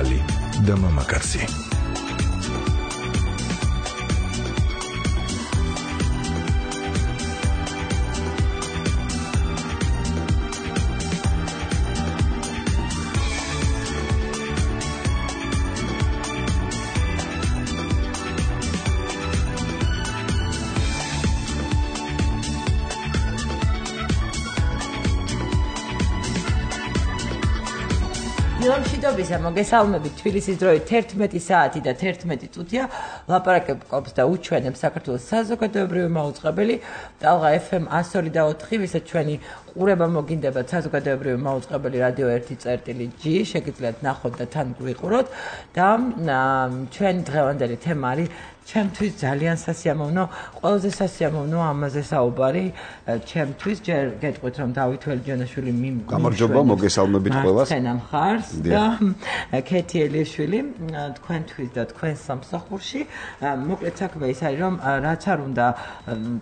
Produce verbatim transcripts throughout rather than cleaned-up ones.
ახალი და მამაკაცი. მშვიდობისა, მოგესალმებით. თბილისის დროით თერთმეტი საათი და თერთმეტი წუთია. ლაპარაკობს და უჩვენებს საქართველოს საზოგადოებრივი მაუწყებელი ტალღა ეფ ემ εκατო ორი და ოთხი, ვისაც ჩვენი ყურება მოგინდებათ საზოგადოებრივი მაუწყებელი რადიო ერთი წერტილი ჯი, შეგიძლიათ ნახოთ და თან გვიყუროთ და ჩვენი დღევანდელი თემა არის ჩემთვის ძალიან სასიამოვნო, ყველაზე სასიამოვნო ამაზე საუბარი ჩემთვის. ჯერ გეტყვით რომ დავით ველიჯანაშვილი მიმ გამარჯობა, მოგესალმებით ყველას. თქვენ მხარს და ქეთი ელიაშვილი თქვენთვის და თქვენ სამსახურში. მოკლედ საქმე ის არის რომ რაც არ უნდა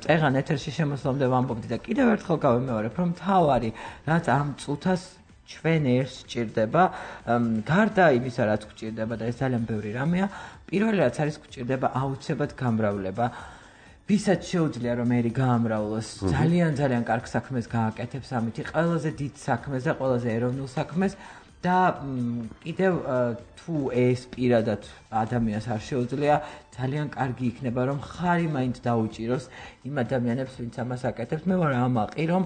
წეღან ეთერში შემოსვლამდე ვამბობდი და კიდევ ერთხელ გავიმეორებ რომ თავარი რაც ამ წუთას ჩვენ ერთს სჭირდება, გარდა იმისა რაც გვჭირდება და ეს ძალიან ბევრი რამეა, პირველი რაც არის გვჭირდება აუცილებლად გამრავლება. ვისაც შეუძლია რომ ერი გაამრავლოს, ძალიან ძალიან კარგ საქმეს გააკეთებს ამითი, ყველაზე დიდ საქმეს და ყველაზე ეროვნულ საქმეს და კიდევ თუ ეს პირადად ადამიანს არ შეუძლია, ძალიან კარგი იქნება რომ ხარი მაინც დაუჭიროს იმ ადამიანებს, ვინც ამას აკეთებს. მე ვარ ამაყი, რომ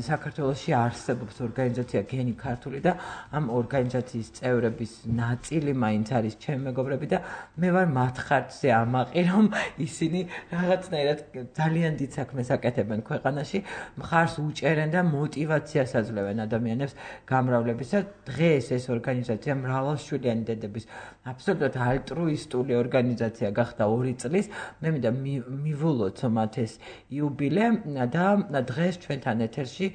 საქართველოში არსებობს ორგანიზაცია გენი ქართული და ამ ორგანიზაციის წევრების ნაწილი მაინც არის ჩემი მეგობრები და მე ვარ მათ ხარჯზე ამაყი, რომ ისინი რაღაცნაირად ძალიან დიდ საქმეს აკეთებენ ქვეყანაში, მხარს უჭერენ და მოტივაციას აძლევენ ადამიანებს გამრავლებისა. დღეს ეს ორგანიზაცია მრავალშვილიანი დედების აბსოლუტურად ალტრუისტული ორგანიზაცია გახდა ორი წლის. მე მინდა მივულოთ მათ ეს იუბილე და დღეს ჩვენთან ეთერში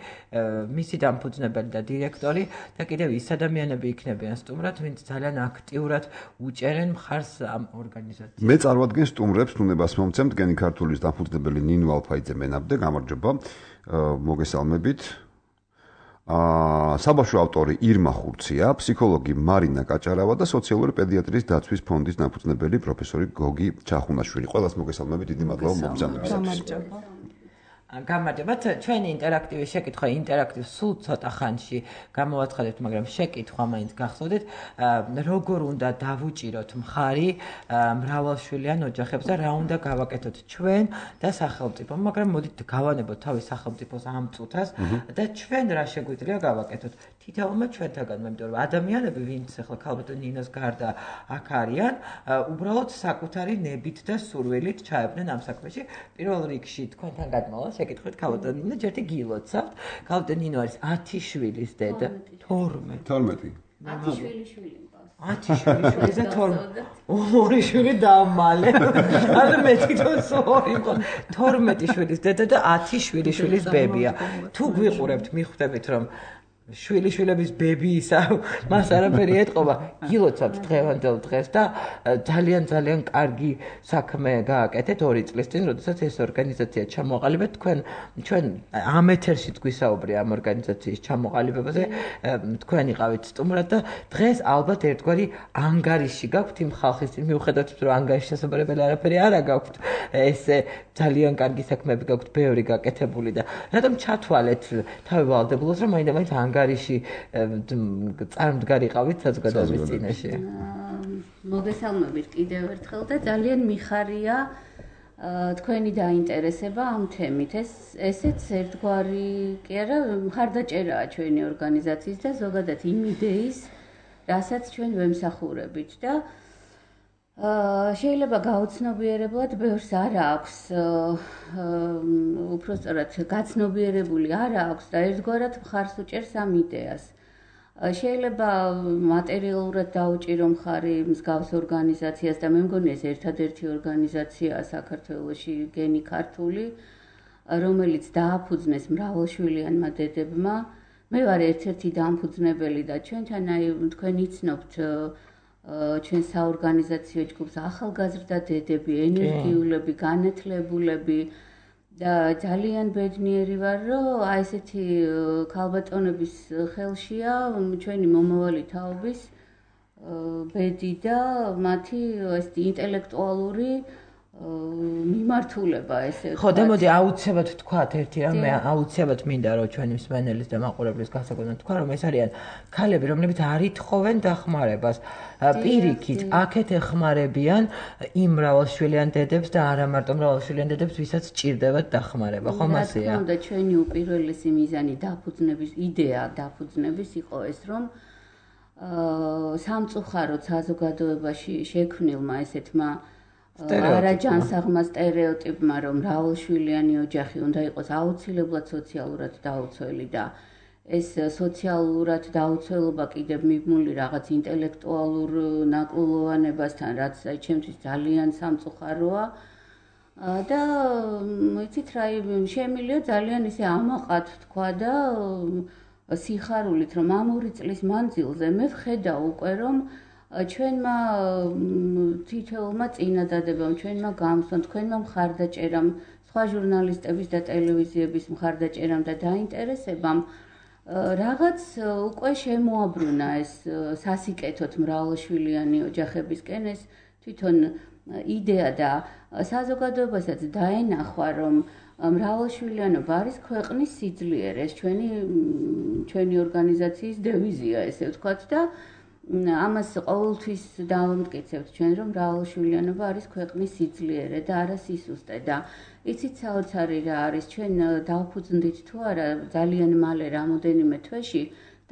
მისი დამფუძნებელი და დირექტორი და კიდევ ის ადამიანები იქნებიან სტუმრად, ვინც ძალიან აქტიურად უჭერენ მხარს ამ ორგანიზაციას. მე წარვადგენ სტუმრებს, უნებას მომცემთ გენი ქართულის დამფუძნებელი ნინო ალფაიძე მენაბდე, გამარჯობა, მოგესალმებით. აა საბავშვო ავტორი ირმა ხურცია, ფსიქოლოგი მარინა კაჭარავა და სოციალური პედიატრიის დაცვის ფონდის დამფუძნებელი პროფესორი გოგი ჩახუნაშვილი. ყველას მოგესალმებით, დიდი მადლობა მოგზაურობისთვის. გამარჯობათ. ჩვენი ინტერაქტივი შეკითხვა, ინტერაქტივ სულ ცოტა ხანში გამოვაცხადებთ, მაგრამ შეკითხვა მაინც გახსოვდეთ, როგორ უნდა დავუჭიროთ მხარი მრავალშვილიან ოჯახებს და რა უნდა გავაკეთოთ ჩვენ და სახელმწიფო. მაგრამ მოდით გავანებოთ თავის სახელმწიფოს ამ წუთას და ჩვენ რა შეგვიძლია გავაკეთოთ. თითოეულმა ჩვენთაგან, იმიტომ რომ ადამიანები, ვინც ახლა ქალბატონ ნინოს გარდა აქ არიან, უბრალოდ საკუთარი ნებით და სურვილით ჩაებდნენ ამ საქმეში. პირველ რიგში თქვენთან გადმოვალ შეკითხეთ ქალბატონ ნინო, ჯერთი გილოცავთ. ქალბატონ ნინო არის ათი შვილის დედა. თორმეტი. თორმეტი. ათი შვილი შვილი მყავს. ათი შვილი შვილი და თორმეტი. ორი შვილი დამალე. ანუ მე თვითონ ორი მყავს. თორმეტი შვილის დედა და ათი შვილი შვილის ბებია. თუ გვიყურებთ, მიხვდებით რომ შვილი შვილების ბებიისა მას არაფერი ეტყობა, გილოცავთ დღევანდელ დღეს და ძალიან ძალიან კარგი საქმე გააკეთეთ ორი წლის წინ, როდესაც ეს ორგანიზაცია ჩამოყალიბეთ. თქვენ ჩვენ ამ ეთერშიც გვისაუბრია ამ ორგანიზაციის ჩამოყალიბებაზე, თქვენ იყავით სტუმრად და დღეს ალბათ ერთგვარი ანგარიში გაქვთ იმ ხალხის წინ, მიუხედავად რომ ანგარიშის შესაძლებელი არაფერი არა გაქვთ, ესე ძალიან კარგი საქმეები გაქვთ, ბევრი გაკეთებული და რატომ ჩათვალეთ თავი ვალდებულოს რომ მაინდა-მაინც ანგარიში წარმდგარიყავით საზოგადოების წინაშე. მოგესალმებით კიდევ ერთხელ და ძალიან მიხარია თქვენი დაინტერესება ამ თემით. ეს ესეც ერთგვარი კი არა, მხარდაჭერაა ჩვენი ორგანიზაციის და ზოგადად იმ იდეის, რასაც ჩვენ ვემსახურებით და შეიძლება გაუცნობიერებლად ბევრს არ აქვს, უпростоრად გაცნობიერებული არ აქვს და ერთგვარად მხარს უჭერს ამ იდეას. შეიძლება მატერიალურად დაუჭირო მხარი მსგავს ორგანიზაციას და მე მგონი ეს ერთადერთი ორგანიზაციაა საქართველოში გენი ქართული, რომელიც დააფუძნეს მრავალშვილიანმა დედებმა. მე ვარ ერთ-ერთი დამფუძნებელი და ჩვენთან აი თქვენ იცნობთ ჩვენ საორგანიზაციო ჯგუფს ახალგაზრდა დედები, ენერგიულები, განათლებულები და ძალიან ბედნიერი ვარ, რომ აი ესეთი ქალბატონების ხელშია ჩვენი მომავალი თაობის ბედი და მათი ეს ინტელექტუალური მიმართულება ესე ხო და მოდი აუცილებლად თქვათ ერთი რამ მე აუცილებლად მინდა რომ ჩვენი მსმენელის და მაყურებლის გასაგონად თქვა რომ ეს არიან ქალები რომლებიც არ ითხოვენ დახმარებას პირიქით აქეთ ეხმარებიან იმ მრავალშვილიან დედებს და არა მარტო მრავალშვილიან დედებს ვისაც სჭირდებათ დახმარება ხომ ასეა რა თქმა უნდა ჩვენი უპირველესი მიზანი დაფუძნების იდეა დაფუძნების იყო ეს რომ სამწუხაროდ საზოგადოებაში შექმნილმა ესეთმა არაჯანსაღმა სტერეოტიპმა რომ მრავალშვილიანი ოჯახი უნდა იყოს აუცილებლად სოციალურად დაუცველი და ეს სოციალურად დაუცველობა კიდევ მიბმული რაღაც ინტელექტუალურ ნაკლოვანებასთან რაც აი ჩემთვის ძალიან სამწუხაროა და იცით რა შემილია ძალიან ისე ამაყად თქვა და სიხარულით რომ ამ ორი წლის მანძილზე მე ვხედავ უკვე რომ ჩვენმა თითოეულმა წინადადებამ, ჩვენმა გამოსვლამ, თქვენმა მხარდაჭერამ, სხვა ჟურნალისტების და ტელევიზიების მხარდაჭერამ და დაინტერესებამ რაღაც უკვე შემოაბრუნა ეს სასიკეთოდ მრავალშვილიანი ოჯახებისკენ ეს თვითონ იდეა და საზოგადოებასაც დაენახვა რომ მრავალშვილიანობა არის ქვეყნის სიძლიერე, ეს ჩვენი ჩვენი ორგანიზაციის დევიზია ესე ვთქვათ და ამას ყოველთვის დავამტკიცებთ ჩვენ რომ მრავალშვილიანობა არის ქვეყნის სიძლიერე და არა სისუსტე და იცით საოცარი რა არის ჩვენ დავფუძნდით თუ არა ძალიან მალე რამოდენიმე თვეში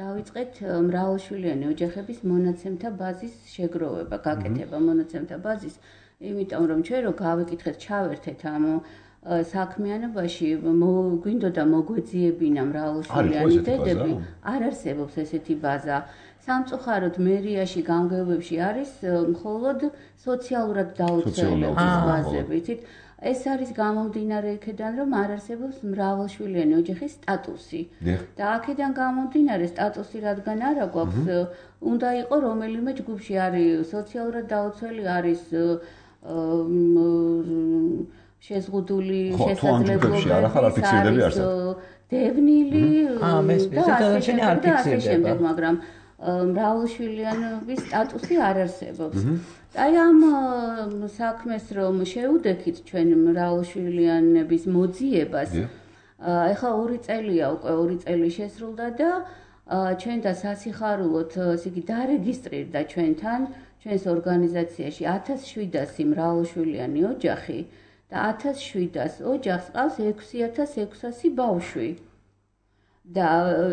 დავიწყეთ მრავალშვილიანი ოჯახების მონაცემთა ბაზის შეგროვება, გაკეთება მონაცემთა ბაზის, იმიტომ რომ ჩვენ რო გავიკითხეთ, ჩავერთეთ ამ საქმიანობაში გვინდოდა მოგვეძიებინა მრავალშვილიანი დედები, არ არსებობს ესეთი ბაზა. სამწუხაროდ მერიაში გამგეობებში არის მხოლოდ სოციალურად დაუცველების ბაზები, იცით? ეს არის გამომდინარე იქედან, რომ არ არსებობს მრავალშვილიანი ოჯახის სტატუსი. და აქედან გამომდინარე სტატუსი რადგან არ აქვს, უნდა იყო რომელიმე ჯგუფში არის სოციალურად დაუცველი, არის შეზღუდული შესაძლებლობები, არის დევნილი და ასე შემდეგ, მაგრამ მრავალშვილიანობის სტატუსი არ არსებობს. აი ამ საქმეს რომ შეუდექით ჩვენ მრავალშვილიანების მოძიებას, ეხლა ორი წელია უკვე ორი წელი შესრულდა და ჩვენ და სასიხარულოდ ესე იგი დარეგისტრირდა ჩვენთან, ჩვენს ორგანიზაციაში ათას შვიდასი მრავალშვილიანი ოჯახი და ათას შვიდას ოჯახს ყავს ექვსი ათას ექვსასი ბავშვი. და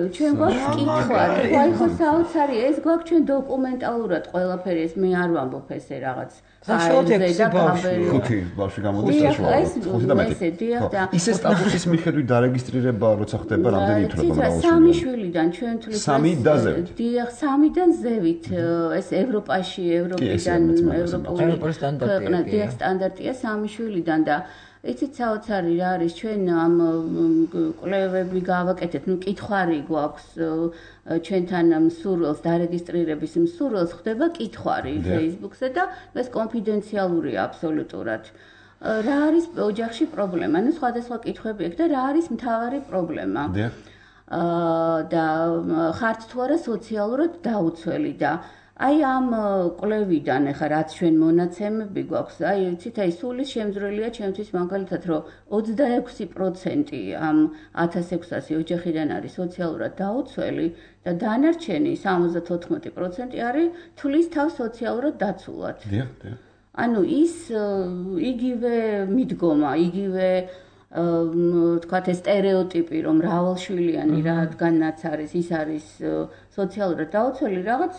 ჩვენ გვაქვს კითხვა, აი ხო საოცარი ეს გვაქვს ჩვენ დოკუმენტალურად ყველაფერი ეს მე არ ვამბობ ესე რაღაც საშუალოდ ექვსი ბავშვი ხუთი ბავშვი გამოდის საშუალოდ ხუთი და მეტი. ისე სტატუსის მიხედვით დარეგისტრირება როცა ხდება რამდენი ითვლება მრავალშვილიანი? სამი შვილიდან ჩვენ თვლით სამი და ზევით. დიახ, სამიდან ზევით ეს ევროპაში, ევროპიდან, ევროპული სტანდარტია. სტანდარტია სამი შვილიდან და იცით საოცარი რა არის ჩვენ ამ კვლევები გავაკეთეთ, ნუ კითხვარი გვაქვს ჩვენთან მსურველს დარეგისტრირების მსურველს ხდება კითხვარი Facebook-ზე და ეს კონფიდენციალურია აბსოლუტურად. რა არის ოჯახში პრობლემა? ნუ სხვადასხვა კითხვები აქვს და რა არის მთავარი პრობლემა? და ხართ თუ არა სოციალურად დაუცველი და აი ამ კვლევიდან ახლა რაც ჩვენ მონაცემები გვაქვს, აი იცით, აი სული შემძვრელია ჩემთვის მაგალითად, რომ ოცდაექვსი პროცენტი ამ ათას ექვსასი ოჯახიდან არის სოციალურად დაუცველი და დანარჩენი სამოცდათოთხმეტი პროცენტი არის თulis თავს სოციალურად დაცულად. დიახ, დიახ. ანუ ის იგივე მიდგომა, იგივე თქვათ ეს სტერეოტიპი რომ მრავალშვილიანი რადგანაც არის ის არის სოციალურად დაუცველი რაღაც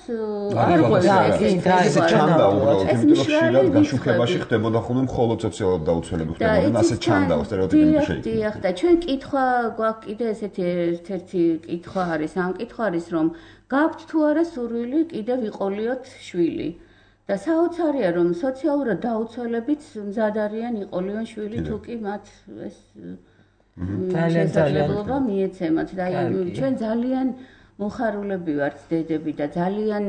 არ ყოფილა ეს ჩანდა უბრალოდ იმიტომ რომ ხშირად გაშუქებაში ხდებოდა ხოლმე მხოლოდ სოციალურად დაუცველები ხდებოდნენ ასე ჩანდა სტერეოტიპები შეიძლება. დიახ და ჩვენ კითხვა გვაქვს კიდე ესეთი ერთ-ერთი კითხვა არის ამ კითხვა არის რომ გაქვთ თუ არა სურვილი კიდე ვიყოლიოთ შვილი. და საოცარია რომ სოციალურად დაუცველებიც მზად არიან იყოლიონ შვილი თუ კი მათ ეს შესაძლებლობა მიეცემათ და ჩვენ ძალიან მოხარულები ვართ დედები და ძალიან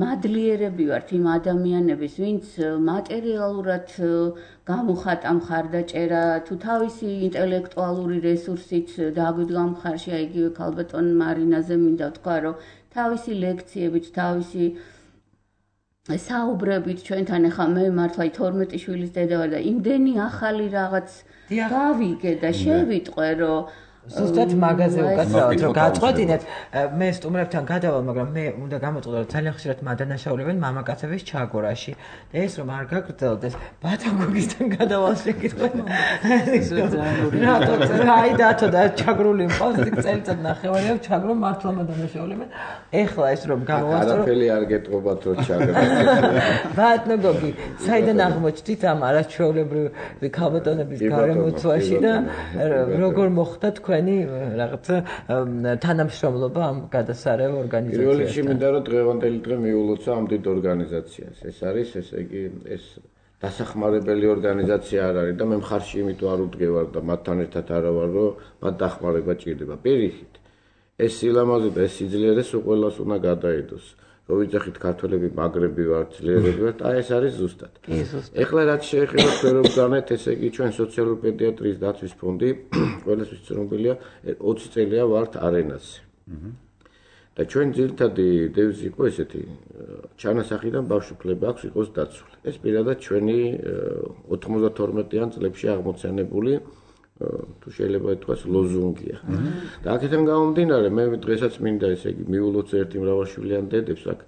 მადლიერები ვართ იმ ადამიანების ვინც მატერიალურად გამოხატა მხარდაჭერა თუ თავისი ინტელექტუალური რესურსით დაგვიდგა მხარში აიგივე ქალბატონ მარინაზე მინდა ვთქვა რომ თავისი ლექციებით თავისი საუბრებით ჩვენთან ახლა მე მართლა თორმეტი შვილის დედა ვარ და იმდენი ახალი რაღაც გავიგე და შევიტყვე რომ ზუსტად მაგაზე უკაცრავად რომ გაწყვეტინეთ მე სტუმრებთან გადავალ მაგრამ მე უნდა გამოწყო რომ ძალიან ხშირად მადანაშაულებენ მამაკაცების ჩაგორაში და ეს რომ არ გაგრძელდეს ბათაგოგისთან გადავალ შეკითხვა რატო აი დათო და ჩაგრული მყავს წელიწად ნახევარი აქვს ჩაგრო მართლა მადანაშაულებენ ეხლა ეს რომ გამოვასწრო არაფერი არ გეტყობათ რომ ჩაგრო ბათაგოგი საიდან აღმოჩნდით ამ არაჩვეულებრივი ქალბატონების გარემოცვაში და როგორ მოხდა თქვენ რაღაცა თანამშრომლობა ამ გადასარევ ორგანიზაციასთან. პირველ რიგში მინდა რომ დღევანდელი დღე მიულოცა ამ დიდ ორგანიზაციას. ეს არის ესე იგი ეს დასახმარებელი ორგანიზაცია არ არის და მე მხარში იმიტომ არ უდგევარ და მათთან ერთად არა ვარ რომ მათ დახმარება ჭირდება. პირიქით ეს სილამაზე და ეს სიძლიერეს უყველას უნდა გადაიდოს. რო ვიძახით ქართველები მაგრები ვარ, ძლიერები ვარ, აი ეს არის ზუსტად. ეხლა რაც შეეხება ქვევრებგანეთ, ესე იგი ჩვენ სოციალური პედიატრიის დაცვის ფონდი ყველასთვის ცნობილია ოცი წელია ვართ არენაზე. და ჩვენ ძირითადი დევიზი იყო ესეთი ჩანასახიდან ბავშვი-ფლება აქვს იყოს დაცული. ეს პირადად ჩვენი ოთხმოცდათორმეტიან წლებში აღმოცენებული თუ შეიძლება ითქვას ლოზუნგია. და აქედან გამომდინარე მე დღესაც მინდა ესე იგი მიულოც ერთი მრავალშვილიან დედებს აქ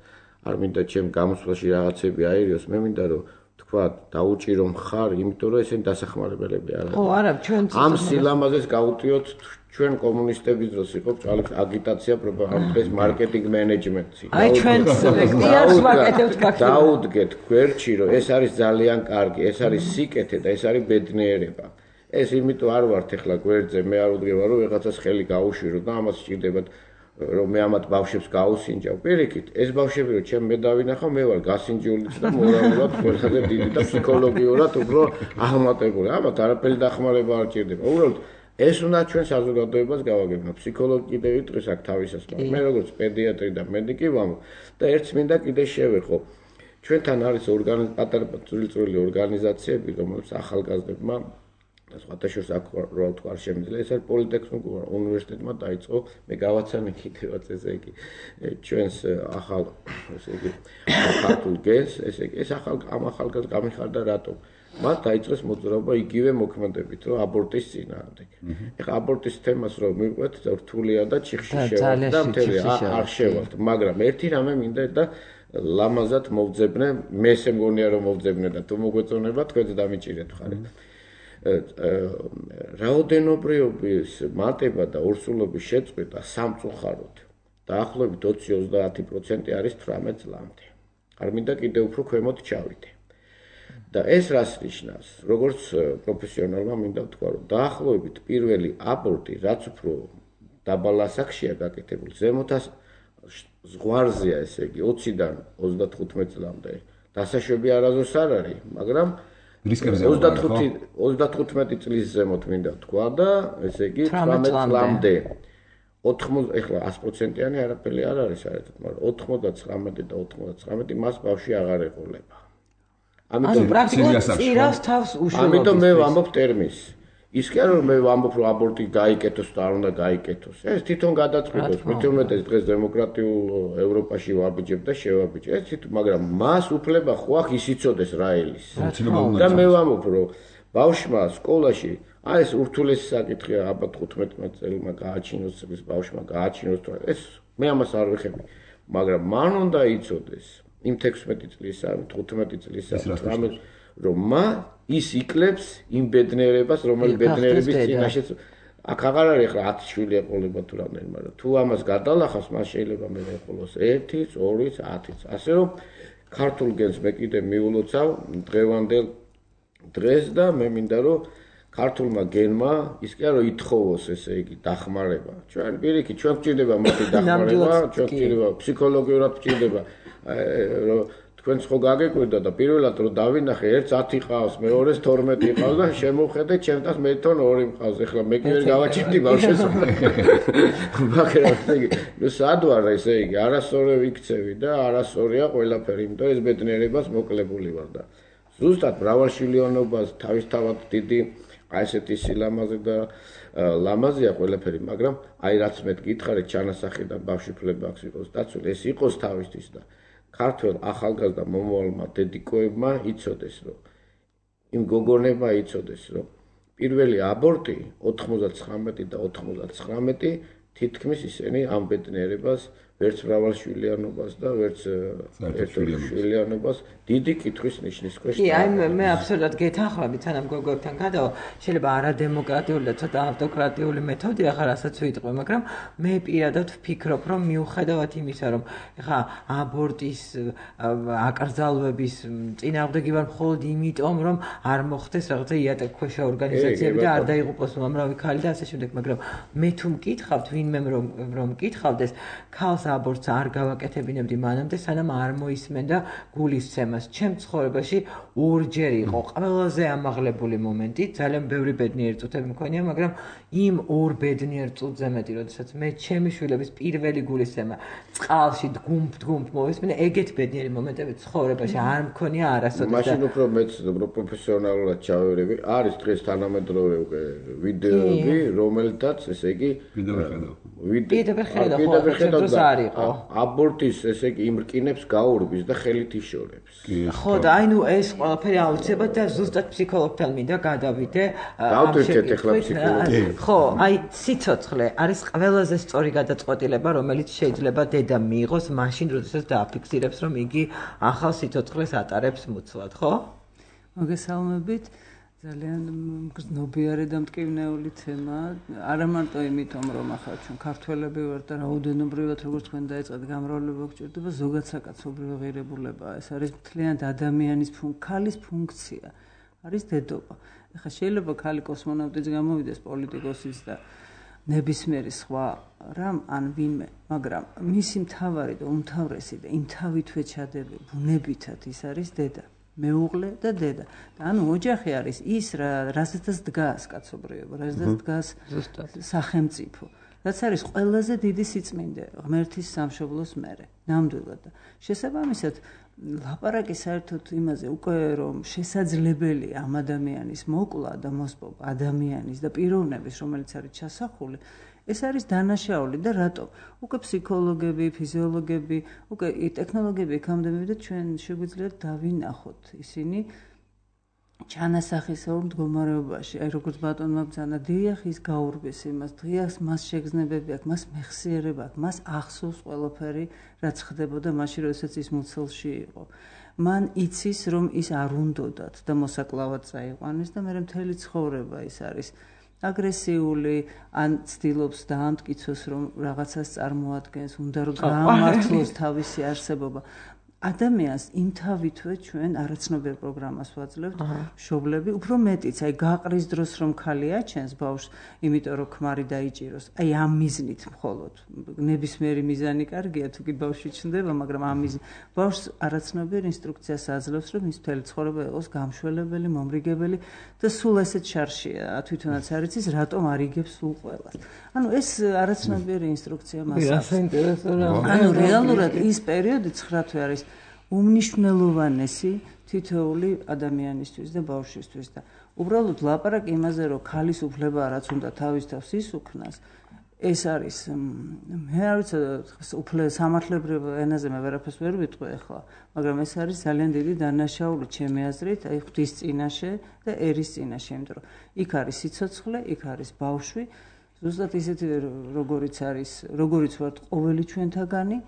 არ მინდა ჩემ გამოსვლაში რაღაცები აერიოს მე მინდა რომ თქვა დაუჭირო მხარ იმიტომ რომ ესენი დასახმარებელები არ არის. ხო არა ჩვენ ამ სილამაზეს გავუტიოთ ჩვენ კომუნისტების დროს იყო ბჭყალებს აგიტაცია პროპაგანდა დღეს მარკეტინგ მენეჯმენტი. აი ჩვენ პიარს ვაკეთებთ გაქცევას. დაუდგეთ გვერდში რომ ეს არის ძალიან კარგი ეს არის სიკეთე და ეს არის ბედნიერება. ეს იმიტომ არ ვართ ახლა გვერდზე მე არ უდგება რომ რაღაცას ხელი გაუშვირო და ამას სჭირდებათ რომ მე ამათ ბავშვებს გაუსინჯავ. პირიქით ეს ბავშვები რომ ჩემ მე დავინახავ მე ვარ გასინჯულიც და მორალურად ყველაზე დიდი და ფსიქოლოგიურად უფრო აღმატებული. ამათ არაფერი დახმარება არ ჭირდება. უბრალოდ ეს უნდა ჩვენ საზოგადოებას გავაგებინო. ფსიქოლოგი კიდევ იტყვის აქ თავისას, მაგრამ მე როგორც პედიატრი და მედიკი ვამბობ და ერთს მინდა კიდე შევეხო. ჩვენთან არის ორგანიზ პატარა წვრილ-წვრილი ორგანიზაციები, რომელსაც ახალგაზრდებმა და სხვათა შორის აქ რა ვთქვა არ შემიძლია. ეს არის პოლიტექნიკურ უნივერსიტეტმა დაიწყო, მე გავაცანე კიდევაც ესე იგი ჩვენს ახალ ესე იგი ახალ გენს, ესე იგი ეს ახალ ამ ახალგაზრდ გამიხარდა რატომ? მათ დაიწყეს მოძრაობა იგივე მოქმედებით, რომ აბორტის წინააღმდეგ. ეხლა აბორტის თემას რომ მივყვეთ, რთულია და ჩიხში შევართ და მთელი არ შევართ, მაგრამ ერთი რამე მინდა და ლამაზად მოვძებნე, მე ესე მგონია რომ მოვძებნე და თუ მოგვეწონება თქვენც დამიჭირეთ ხარ. რაოდენობრივობის მატება და ორსულობის შეწყვეტა სამწუხაროდ დაახლოებით ოცი ოცდაათი პროცენტი არის თვრამეტ წლამდე. არ მინდა კიდევ უფრო ქვემოთ ჩავიდე. და ეს რას ნიშნავს? როგორც პროფესიონალმა მინდა ვთქვა, რომ დაახლოებით პირველი აბორტი, რაც უფრო დაბალ ასაკშია გაკეთებული, ზემოთას ზღვარზეა, ესე იგი, ოციდან ოცდათხუთმეტ წლამდე. დასაშვები არასდროს არ არის, მაგრამ ოცდათხუთმეტი წლის ზემოთ მინდა ვთქვა და ესე იგი თვრამეტ წლამდე. ოთხმოცდა ეხლა ას პროცენტიანი არაფერი არ არის საერთოდ, მაგრამ ოთხმოცდაცხრამეტი და ოთხმოცდაცხრამეტი მას ბავშვი აღარ ეყოლება. ამიტომ პრაქტიკულად წირავს თავს უშუალოდ. ამიტომ მე ვამბობ ტერმინს. ის კი არა რომ მე ვამბობ რომ აბორტი გაიკეთოს და არ უნდა გაიკეთოს. ეს თვითონ გადაწყვეტოს. მეტი დღეს დემოკრატიულ ევროპაში ვაბიჯებ და შევაბიჯე. ეს თვითონ, მაგრამ მას უფლება ხო აქვს ის იცოდეს რა ელის. და მე ვამბობ რომ ბავშვმა სკოლაში აი ეს ურთულესი საკითხია აბა თხუთმეტ წელმა გააჩინოს წლის ბავშვმა გააჩინოს თუ ეს მე ამას არ ვეხები. მაგრამ მან უნდა იცოდეს იმ თექვსმეტი წლისა, თხუთმეტი წლისა, თვრამეტ რომ მა ის იკლებს იმ ბედნიერებას, რომელიც ბედნიერების წინაშეც აქ აღარ არის ახლა ათი შვილი ეყოლება თუ რამდენი, მაგრამ თუ ამას გადალახავს, მას შეიძლება მე ეყოლოს ერთიც, ორიც, ათიც. ასე რომ ქართულ გენს მე კიდე მიულოცავ დღევანდელ დღეს და მე მინდა რომ ქართულმა გენმა ის კი არა ითხოვოს ესე იგი დახმარება. ჩვენ პირიქით ჩვენ გვჭირდება მოდი დახმარება, ჩვენ გვჭირდება ფსიქოლოგიურად გვჭირდება რომ თქვენც ხო გაგეკვირდა და პირველად რომ დავინახე ერთს ათი ყავს, მეორეს თორმეტი ყავს და შემოვხედე ჩემთან მე თვითონ ორი ყავს. ეხლა მე კი ვერ გავაჩინდი ბავშვს. მაგრამ ესე იგი, ნუ სად ვარ ესე იგი, არასორი ვიქცევი და არასორია ყველაფერი, იმიტომ ეს ბედნიერებას მოკლებული ვარ და ზუსტად მრავალშვილიანობას თავისთავად დიდი აი ესეთი სილამაზე და ლამაზია ყველაფერი, მაგრამ აი რაც მე გითხარით ჩანასახიდან ბავშვი-ფლება აქვს იყოს დაცული, ეს იყოს თავისთვის და ქართველ ახალგაზრდა მომავალმა დედიკოებმა იცოდეს, რომ იმ გოგონებმა იცოდეს, რომ პირველი აბორტი ოთხმოცდაცხრამეტი და ოთხმოცდაცხრამეტი თითქმის ისინი ამ ბედნიერებას ვერც მრავალშვილიანობას და ვერც ერთშვილიანობას დიდი კითხვის ნიშნის ქვეშ. კი, აი მე აბსოლუტურად გეთანხმებით, სანამ გოგოებთან გადავა, შეიძლება არადემოკრატიული და ცოტა ავტოკრატიული მეთოდია ხარ რასაც ვიტყვი, მაგრამ მე პირადად ვფიქრობ, რომ მიუხედავად იმისა, რომ ეხა აბორტის აკრძალვების წინააღმდეგი ვარ მხოლოდ იმიტომ, რომ არ მოხდეს რაღაცა იატაკქვეშა ორგანიზაციები და არ დაიღუპოს უამრავი ქალი და ასე შემდეგ, მაგრამ მე თუ მკითხავთ, ვინმე რომ რომ მკითხავდეს, ქალს აბორტს არ გავაკეთებინებდი მანამდე, სანამ არ მოისმენდა გულისცემას. ჩემ ცხოვრებაში ორჯერ იყო ყველაზე ამაღლებული მომენტი, ძალიან ბევრი ბედნიერი წუთები მქონია, მაგრამ იმ ორ ბედნიერ წუთზე მეტი, როდესაც მე ჩემი შვილების პირველი გულისცემა წყალში დგუმ-დგუმ მოვისმინე, ეგეთ ბედნიერი მომენტები ცხოვრებაში არ მქონია არასოდეს. მაშინ უფრო მეც პროფესიონალურად ჩავერევი, არის დღეს თანამედროვე ვიდეოები, რომელთაც ესე იგი ვიდეო ხედავ, ხო, არ იყო. აბორტის ესე იგი იმ რკინებს გაურბის და ხელით იშორებს. ხო და აი ნუ ეს ყველაფერი აუცილებლად და ზუსტად ფსიქოლოგთან მინდა გადავიდე. დავტვირთეთ ახლა ფსიქოლოგი. ხო, აი სიცოცხლე არის ყველაზე სწორი გადაწყვეტილება, რომელიც შეიძლება დედა მიიღოს მაშინ, როდესაც დააფიქსირებს, რომ იგი ახალ სიცოცხლეს ატარებს მუცლად, ხო? მოგესალმებით. ძალიან გრძნობიარე და მტკივნეული თემა. არა მარტო იმიტომ, რომ ახლა ჩვენ ქართველები ვართ და რაოდენობრივად როგორც თქვენ დაიწყეთ გამრავლება გვჭირდება, ზოგადად საკაცობრიო ღირებულებაა. ეს არის მთლიანად ადამიანის ქალის ფუნქცია. არის დედობა. ეხლა შეიძლება ქალი კოსმონავტიც გამოვიდეს, პოლიტიკოსიც და ნებისმიერი სხვა რამ ან ვინმე, მაგრამ მისი მთავარი და უმთავრესი და იმ თავითვე ჩადები ბუნებითად ის არის დედა. მეუღლე და დედა. და ანუ ოჯახი არის ის რასაც დგას კაცობრიობა, რასაც დგას სახელმწიფო. რაც არის ყველაზე დიდი სიწმინდე ღმერთის სამშობლოს მერე. ნამდვილად. შესაბამისად, ლაპარაკი საერთოდ იმაზე უკვე რომ შესაძლებელია ამ ადამიანის მოკლა და მოსპობა ადამიანის და პიროვნების, რომელიც არის ჩასახული, ეს არის დანაშაული და რატომ? უკვე ფსიქოლოგები, ფიზიოლოგები, უკვე ტექნოლოგიები იქამდე მივიდა ჩვენ შეგვიძლია დავინახოთ ისინი ჩანასახისეულ მდგომარეობაში. აი როგორც ბატონმა ბრძანა, დიახ ის გაურბის იმას, დღეს მას შეგრძნებები აქვს, მას მეხსიერება აქვს, მას ახსოვს ყველაფერი, რაც ხდებოდა მაშინ, როდესაც ის მუცელში იყო. მან იცის, რომ ის არ უნდოდათ და მოსაკლავად წაიყვანეს და მე მთელი ცხოვრება ის არის აგრესიული, ან ცდილობს დაამტკიცოს, რომ რაღაცას წარმოადგენს, უნდა რომ გაამართლოს თავისი არსებობა. ადამიანს იმ თავითვე ჩვენ არაცნობიერ პროგრამას ვაძლევთ, მშობლები, უფრო მეტიც, აი გაყრის დროს რომ ხალი აჩენს ბავშვს, იმიტომ რომ ქმარი დაიჭიროს, აი ამ მიზნით მხოლოდ. ნებისმიერი მიზანი კარგია, თუ კი ბავშვი ჩნდება, მაგრამ ამ მიზნით ბავშვს არაცნობიერ ინსტრუქციას აძლევს, რომ ის მთელი ცხოვრება იყოს გამშველებელი, მომრიგებელი და სულ ესეც შარშია, თვითონაც არ იცის, რატომ არ იგებს სულ ყველას. ანუ ეს არაცნობიერი ინსტრუქცია მას აქვს. ანუ რეალურად ის პერიოდი ცხრა თვე არის უმნიშვნელოვანესი თითოეული ადამიანისთვის და ბავშვისთვის და უბრალოდ ლაპარაკი იმაზე, რომ ქალის უფლება რაც უნდა თავის თავს ისუქნას, ეს არის მე არ ვიცი უფლე სამართლებრივ ენაზე მე ვერაფერს ვერ ვიტყვი ახლა, მაგრამ ეს არის ძალიან დიდი დანაშაული ჩემი აზრით, აი ღვთის წინაშე და ერის წინაშე, იმიტომ რომ იქ არის სიცოცხლე, იქ არის ბავშვი, ზუსტად ისეთი როგორიც არის, როგორიც ვართ ყოველი ჩვენთაგანი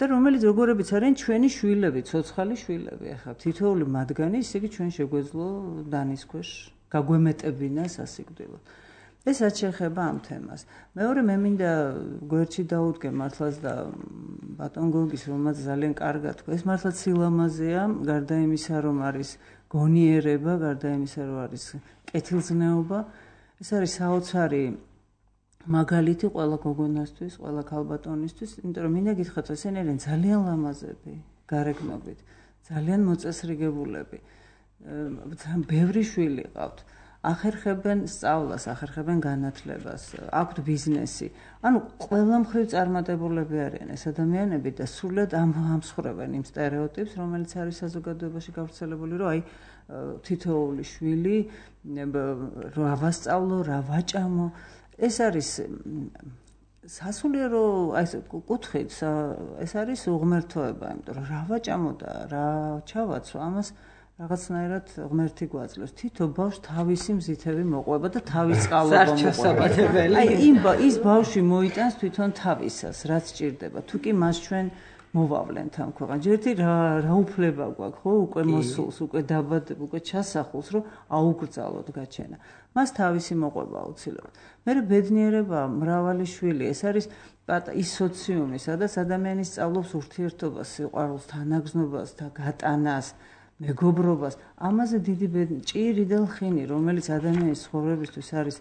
და რომელიც როგორებიც არიან ჩვენი შვილები, ცოცხალი შვილები. ახლა თითოეული მათგანი ისე იგი ჩვენ შეგვეძლო დანის ქვეშ გაგვემეტებინა სასიკვდილოდ. ესაც შეეხება ამ თემას. მეორე მე მინდა გვერდში დაუდგე მართლაც და ბატონ გოგის, რომელმაც ძალიან კარგად თქვა, ეს მართლაც სილამაზეა, გარდა იმისა, რომ არის გონიერება, გარდა იმისა, რომ არის კეთილზნეობა, ეს არის საოცარი მაგალითი ყველა გოგონასთვის, ყველა ქალბატონისთვის, იმიტომ რომ მინდა გითხრათ, ესენი არიან ძალიან ლამაზები, გარეგნობით, ძალიან მოწესრიგებულები, ბევრი შვილი ყავთ. ახერხებენ სწავლას, ახერხებენ განათლებას, აქვთ ბიზნესი. ანუ ყველა მხრივ წარმატებულები არიან ეს ადამიანები და სრულად ამსხვრევენ იმ სტერეოტიპს, რომელიც არის საზოგადოებაში გავრცელებული, რომ აი თითოეული შვილი რა ვასწავლო, რა ვაჭამო. ეს არის სასულიერო აი ეს კუთხით ეს არის უღმერთოება, იმიტომ რომ რა ვაჭამოდა, რა ჩავაცო, ამას რაღაცნაირად ღმერთი გვაძლევს. თითო ბავშვს თავისი მზითები მოყვება და თავის წყალობა მოყვება. აი იმ ის ბავშვი მოიტანს თვითონ თავისას, რაც ჭირდება. თუ კი მას ჩვენ მოვავლენთ ამ ქვეყანაში. ერთი რა რა უფლება გვაქვს, ხო, უკვე მოსულს, უკვე დაბადებ, უკვე ჩასახულს, რომ აუგრძალოთ გაჩენა. მას თავისი მოყვება აუცილებლად. მე ბედნიერება მრავალი შვილი, ეს არის ის სოციუმი, სადაც ადამიანი სწავლობს ურთიერთობას, სიყვარულს, თანაგზნობას და გატანას, მეგობრობას. ამაზე დიდი ჭირი და ლხინი, რომელიც ადამიანის ცხოვრებისთვის არის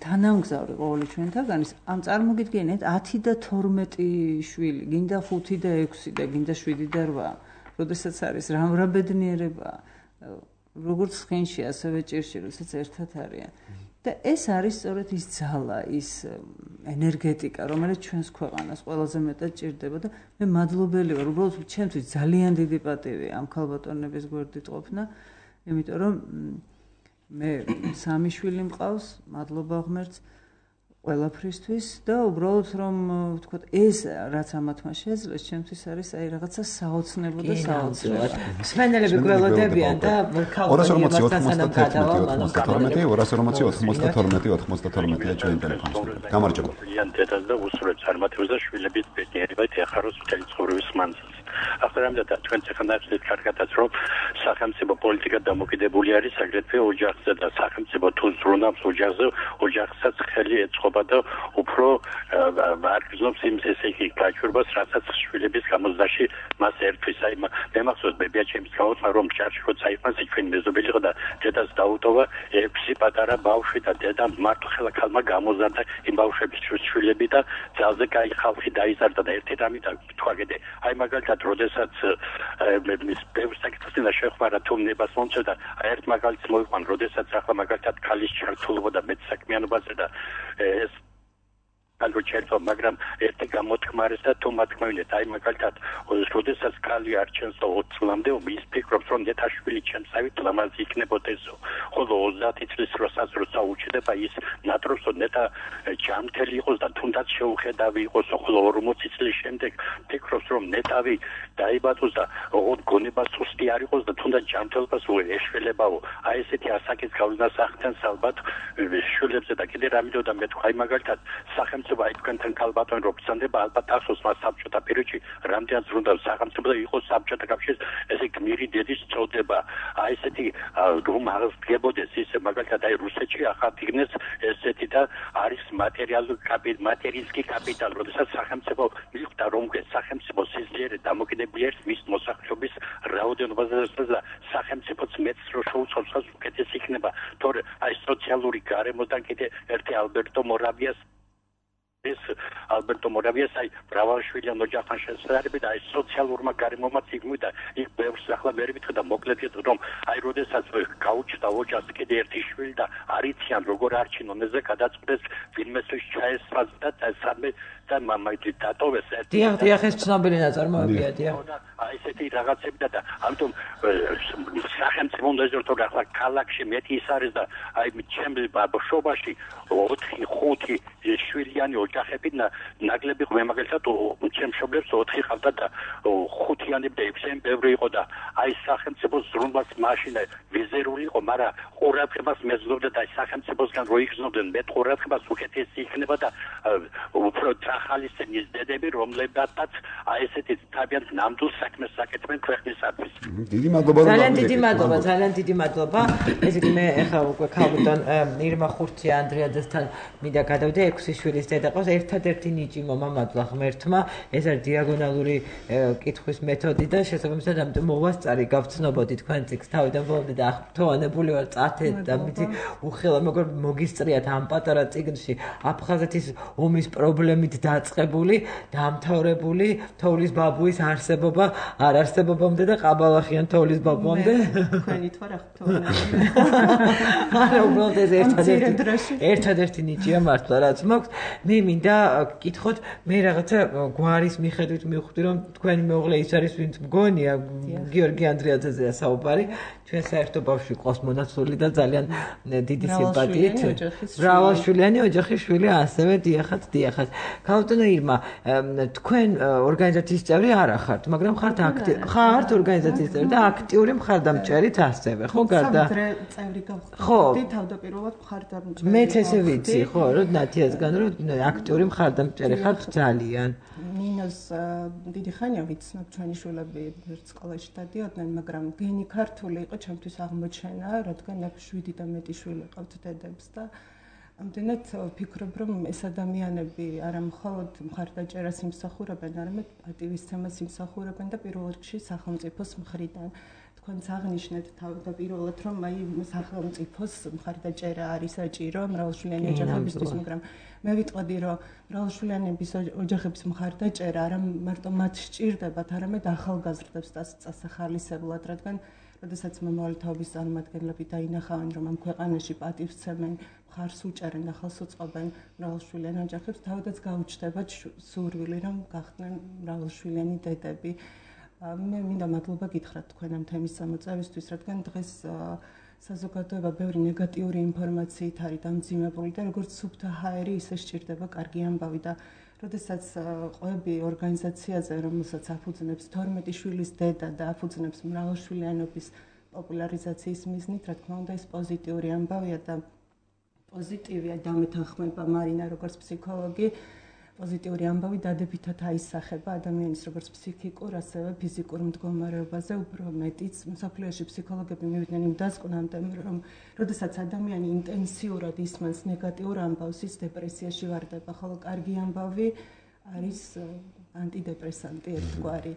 თანამგზავრი ყოველი ჩვენთაგანის, ამ წარმოგიდგენთ ათი და თორმეტი შვილი, გინდა ხუთი და ექვსი და გინდა შვიდი და რვა, როდესაც არის რა რა ბედნიერება, როგორც ხინში, ასევე ჭირში, როდესაც ერთად არიან. და ეს არის სწორედ ის ძალა, ის ენერგეტიკა, რომელიც ჩვენს ქვეყანას ყველაზე მეტად ჭირდება და მე მადლობელი ვარ, უბრალოდ ჩემთვის ძალიან დიდი პატივია ამ ქალბატონების გვერდით ყოფნა, იმიტომ რომ მე სამი შვილი მყავს, მადლობა ღმერთს ყველაფრისთვის და უბრალოდ რომ ვთქვათ ეს რაც ამათმა შეძლეს, ჩემთვის არის აი რაღაცა საოცნებო და საოცრება. მსმენელები გველოდებიან და ოთხმოცდათორმეტი ჩვენ ტელეფონს. გამარჯობა. დედას და უსურვებს წარმატებას და შვილების ბედნიერება ეხაროს მთელი ცხოვრების მანძილზე. ახლა და ჩვენ ცეხნახეთ კარგადაც რომ სახელმწიფო პოლიტიკა დამოკიდებული არის აგრეთვე ოჯახზე და სახელმწიფო თუ ზრუნავს ოჯახზე, ოჯახსაც ხელი ეწყობა და უფრო აღგზნობს იმ ესე იგი გაჩვენებას, რასაც შვილების გამოსდაში მას ერთვის. აი მე მახსოვს ბებიაჩემის გამოსმა რომ ჭარში როცა იყვანს იქვენ მეზობელი და დედას დაუტოვა ექვსი პატარა ბავშვი და დედა მართლა ხალმა გამოზარდა იმ ბავშვების შვილები და ძალზე კაი ხალხი დაიზარდა და ერთი რამე და თქვაგედე აი მაგალითად როდესაც მის ბევრ საკითხს და შეხვდა თუ ნებას მომწევდა ერთ მაგალითს მოიყვან როდესაც ახლა მაგალითად ქალის ჩართულობა და მეტსაქმიანობაზე და ეს ანუ ჩერტო მაგრამ ერთი გამოთქმარეს და თუ მათქმევინეთ აი მაგალითად როდესაც ქალი არჩენს ოცი წლამდე ის ფიქრობს რომ ნეტაშვილი ჩემსავით ლამაზი იქნებოდეს ხოლო ოცდაათი წლის როსაც როცა უჩდება ის ნატრობს რომ ნეტა ჯანმრთელი იყოს და თუნდაც შეუხედავი იყოს ხოლო ორმოცი წლის შემდეგ ფიქრობს რომ ნეტავი დაიბადოს და გონება სუსტი არ იყოს და თუნდაც ჯანმრთელობას ეშველებაო აი ესეთი ასაკის გავლენას ახდენს ალბათ შვილებზე და კიდე რამე და მე თქვა აი მაგალითად სახელმწიფო აი თქვენთან ქალბატონ რო ბრძანდება ალბათ ახსოვს მას საბჭოთა პერიოდში რამდენად ზრუნდა სახელმწიფო და იყო საბჭოთა კავშირის ესე გმირი დედის წოდება აი ესეთი რომ აღდგებოდეს ისე მაგალითად აი რუსეთში ახალგინეს ესეთი და არის მატერიალური კაპიტალი მატერიალისტი კაპიტალი როდესაც სახელმწიფო მიხვდა რომ სახელმწიფო სიძლიერე დამოკიდებული არის მის მოსახლეობის რაოდენობაზე და სახელმწიფოც მეც რო შეუწყობს უკეთეს იქნება თორე აი სოციალური გარემოდან კიდე ერთი ალბერტო მორავიას ეს ალბერტო მორავიას აი ბრავალშვილი ოჯახთან შესაძლებელი და აი სოციალურმა გარემომაც იგმიდა იქ ბევრს ახლა მე ვიტყვი და მოკლედ რომ აი როდესაც გაუჩნდა ოჯახს კიდე ერთი შვილი და არიციან როგორ არჩინონ ეზე გადაწყვეტეს ვინმეს ჩაესწრა და სამე და მამაი დატოვეს ერთი დიახ დიახ ეს ცნობილი ნაწარმოებია დიახ აი ესეთი რაღაცები და ამიტომ სახელმწიფო უნდა ზრდო ახლა ქალაქში მეტი ის არის და აი ჩემს ბავშვობაში ოთხი ხუთი შვილიანი ოჯახები ნაკლები მე მაგალითად ჩემს მშობლებს ოთხი ხავდა და ხუთიანები და ექვსიანი ბევრი იყო და აი სახელმწიფო ზრუნვას მაშინ ვიზერული იყო მაგრამ ყურადღებას მეზობდა და სახელმწიფოსგან რო იგრძნობდნენ მე ყურადღებას უკეთესი იქნება და უფრო ახალისენის დედები რომლებსაც აი ესეთი თავიანთ ნამდვილ საქმეს აკეთებენ ქვეყნისათვის. დიდი მადლობა. ძალიან დიდი მადლობა, ძალიან დიდი მადლობა. ესე იგი მე ახლა უკვე ქალბატონ ირმა ხურცია ანდრიადესთან მინდა გადავდე ექვსი შვილის დედა ყავს ერთადერთი ნიჭი მომამადლა ღმერთმა. ეს არის დიაგონალური კითხვის მეთოდი და შესაბამისად ამიტომ მოვასწარი გავცნობოდი თქვენ წიგს თავიდან ბოლომდე და აღფრთოვანებული ვარ წათეთ და მითი უხელა მეგობრ მოგისწრიათ ამ პატარა წიგნში აფხაზეთის ომის პრობლემით დაწყებული, დამთავრებული თოვლის ბაბუის არსებობა არ არსებობამდე და ყაბალახიან თოვლის ბაბუამდე. თქვენი თვა რა ხთოვნა. არა, უბრალოდ ეს ერთადერთი ერთადერთი ნიჭია მართლა რაც მაქვს. მე მინდა გკითხოთ, მე რაღაცა გვარის მიხედვით მივხვდი, რომ თქვენი მეუღლე ის არის, ვინც მგონია, გიორგი ანდრიაძეზეა საუბარი. ჩვენ საერთო ბავშვი ყავს მონაცვლელი და ძალიან დიდი სიმპათიით. მრავალშვილიანი ოჯახის შვილი ასევე დიახაც, დიახაც. ქალბატონო ირმა, თქვენ ორგანიზაციის წევრი არ ახართ, მაგრამ ხართ აქტივი. ხართ ორგანიზაციის წევრი და აქტიური მხარდამჭერით ასევე, ხო, გარდა წევრი გავხდი, თავდაპირველად მხარდამჭერი. მეც ესე ვიცი, ხო, რომ ნათიასგან რომ აქტიური მხარდამჭერი ხართ ძალიან. ნინოს დიდი ხანია ვიცნობ, ჩვენი შვილები სკოლაში დადიოდნენ, მაგრამ გენი ქართული იყო ჩემთვის აღმოჩენა, რადგან აქ შვიდი და მეტი შვილი ყავთ დედებს და ამდენად ვფიქრობ, რომ ეს ადამიანები არა მხოლოდ მხარდაჭერას იმსახურებენ, არამედ პატივისცემას იმსახურებენ და პირველ რიგში სახელმწიფოს მხრიდან. თქვენც აღნიშნეთ თავდაპირველად, რომ აი სახელმწიფოს მხარდაჭერა არის საჭირო მრავალშვილიანი ოჯახებისთვის, მაგრამ მე ვიტყოდი, რომ მრავალშვილიანების ოჯახების მხარდაჭერა არა მარტო მათ სჭირდებათ, არამედ ახალგაზრდებს წასახალისებლად, რადგან როდესაც მომავალი თაობის წარმომადგენლები დაინახავენ, რომ ამ ქვეყანაში პატივსცემენ, მხარს უჭერენ და ხელს უწყობენ მრავალშვილიან ოჯახებს, თავადაც გაუჩნდებათ სურვილი, რომ გახდნენ მრავალშვილიანი დედები. მე მინდა მადლობა გითხრათ თქვენ ამ თემის წამოწევისთვის, რადგან დღეს საზოგადოება ბევრი ნეგატიური ინფორმაციით არის დამძიმებული და როგორც სუფთა ჰაერი, ისე სჭირდება კარგი ამბავი და როდესაც ყვები ორგანიზაციაზე, რომელსაც აფუძნებს თორმეტი შვილის დედა და აფუძნებს მრავალშვილიანობის პოპულარიზაციის მიზნით, რა თქმა უნდა, ეს პოზიტიური ამბავია და პოზიტივია დამეთანხმება მარინა როგორც ფსიქოლოგი. პოზიტიური ამბავი დადებითად აისახება ადამიანის როგორც ფსიქიკურ, ასევე ფიზიკურ მდგომარეობაზე, უფრო მეტიც მსოფლიოში ფსიქოლოგები მივიდნენ იმ დასკვნამდე, რომ როდესაც ადამიანი ინტენსიურად ისმენს ნეგატიურ ამბავს, ის დეპრესიაში ვარდება, ხოლო კარგი ამბავი არის ანტიდეპრესანტი ერთგვარი.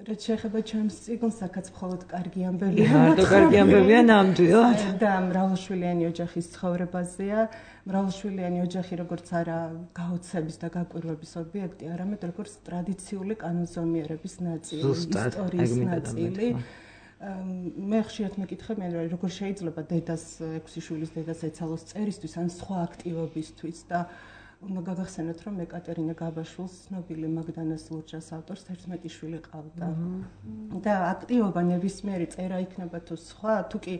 რაც შეეხება ჩემს წიგნს, აქაც მხოლოდ კარგი ამბებია. მარტო კარგი ამბებია ნამდვილად. და მრავალშვილიანი ოჯახის ცხოვრებაზეა. მრავალშვილიანი ოჯახი როგორც არა გაოცების და გაკვირვების ობიექტი, არამედ როგორც ტრადიციული კანონზომიერების ნაწილი, ისტორიის ნაწილი. მე ხშირად მეკითხები, როგორ შეიძლება დედას, ექვსი შვილის დედას ეცალოს წერისთვის ან სხვა აქტივობისთვის და უნდა გაგახსენოთ, რომ ეკატერინე გაბაშვილს, ცნობილი მაგდანას ლურჯას ავტორს თერთმეტი შვილი ყავდა. და აქტივობა ნებისმიერი წერა იქნება თუ სხვა, თუ კი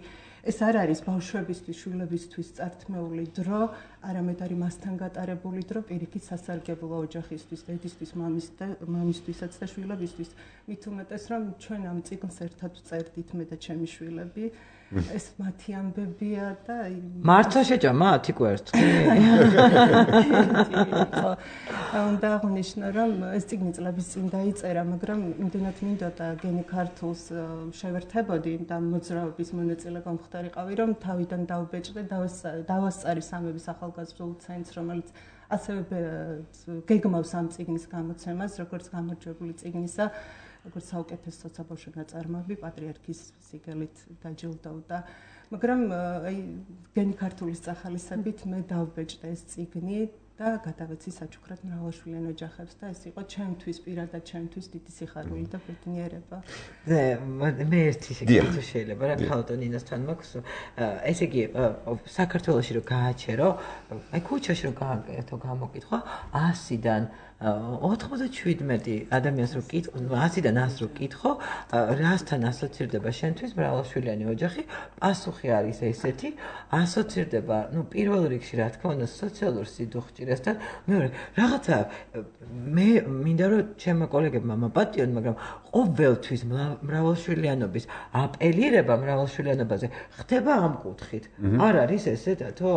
ეს არ არის ბავშვებისთვის, შვილებისთვის წართმეული დრო, არამედ არის მასთან გატარებული დრო, პირიქით სასარგებლო ოჯახისთვის, დედისთვის, მამისთვისაც და შვილებისთვის. მით უმეტეს, რომ ჩვენ ამ წიგნს ერთად ვწერდით მე და ჩემი შვილები. ეს მათი ამბებია და მართლა შეჭა მათი კვერთხი. უნდა აღნიშნო, რომ ეს წიგნი წლების წინ დაიწერა, მაგრამ იმდენად მინდოდა გენი ქართულს შევერთებოდი და მოძრაობის მონაწილე გამხდარიყავი, რომ თავიდან დავბეჭდე, დავასწარი სამების ახალგაზრდულ ცენტრს, რომელიც ასევე გეგმავს ამ წიგნის გამოცემას, როგორც გამარჯვებული წიგნისა. როგორც საუკეთესო საცობავშო ნაწარმოები პატრიარქის სიგელით დაჯილდოვდა. მაგრამ აი გენი ქართულის სახალისებით მე დავბეჭდე ეს წიგნი და გადავეცი საჩუქრად მრავალშვილიან ოჯახებს და ეს იყო ჩემთვის პირადად ჩემთვის დიდი სიხარული და ბედნიერება. მე ერთი შეკითხვა შეიძლება რა ქალბატონ ნინასთან მაქვს. ესე იგი საქართველოში რო გააჩერო, აი ქუჩაში რო გააკეთო გამოკითხვა ასიდან ოთხმოცდაშვიდმეტი ადამიანს რო კითხო, ასიდან ას რო კითხო, რასთან ასოცირდება შენთვის მრავალშვილიანი ოჯახი? პასუხი არის ესეთი, ასოცირდება, ну, პირველ რიგში რა თქმა უნდა, სოციალურ სიდუხჭირესთან, მეორე, რაღაცა მე მინდა რომ ჩემო კოლეგებმა მაპატიონ, მაგრამ ყოველთვის მრავალშვილიანობის აპელირება მრავალშვილიანობაზე ხდება ამ კუთხით. არ არის ესეთათო?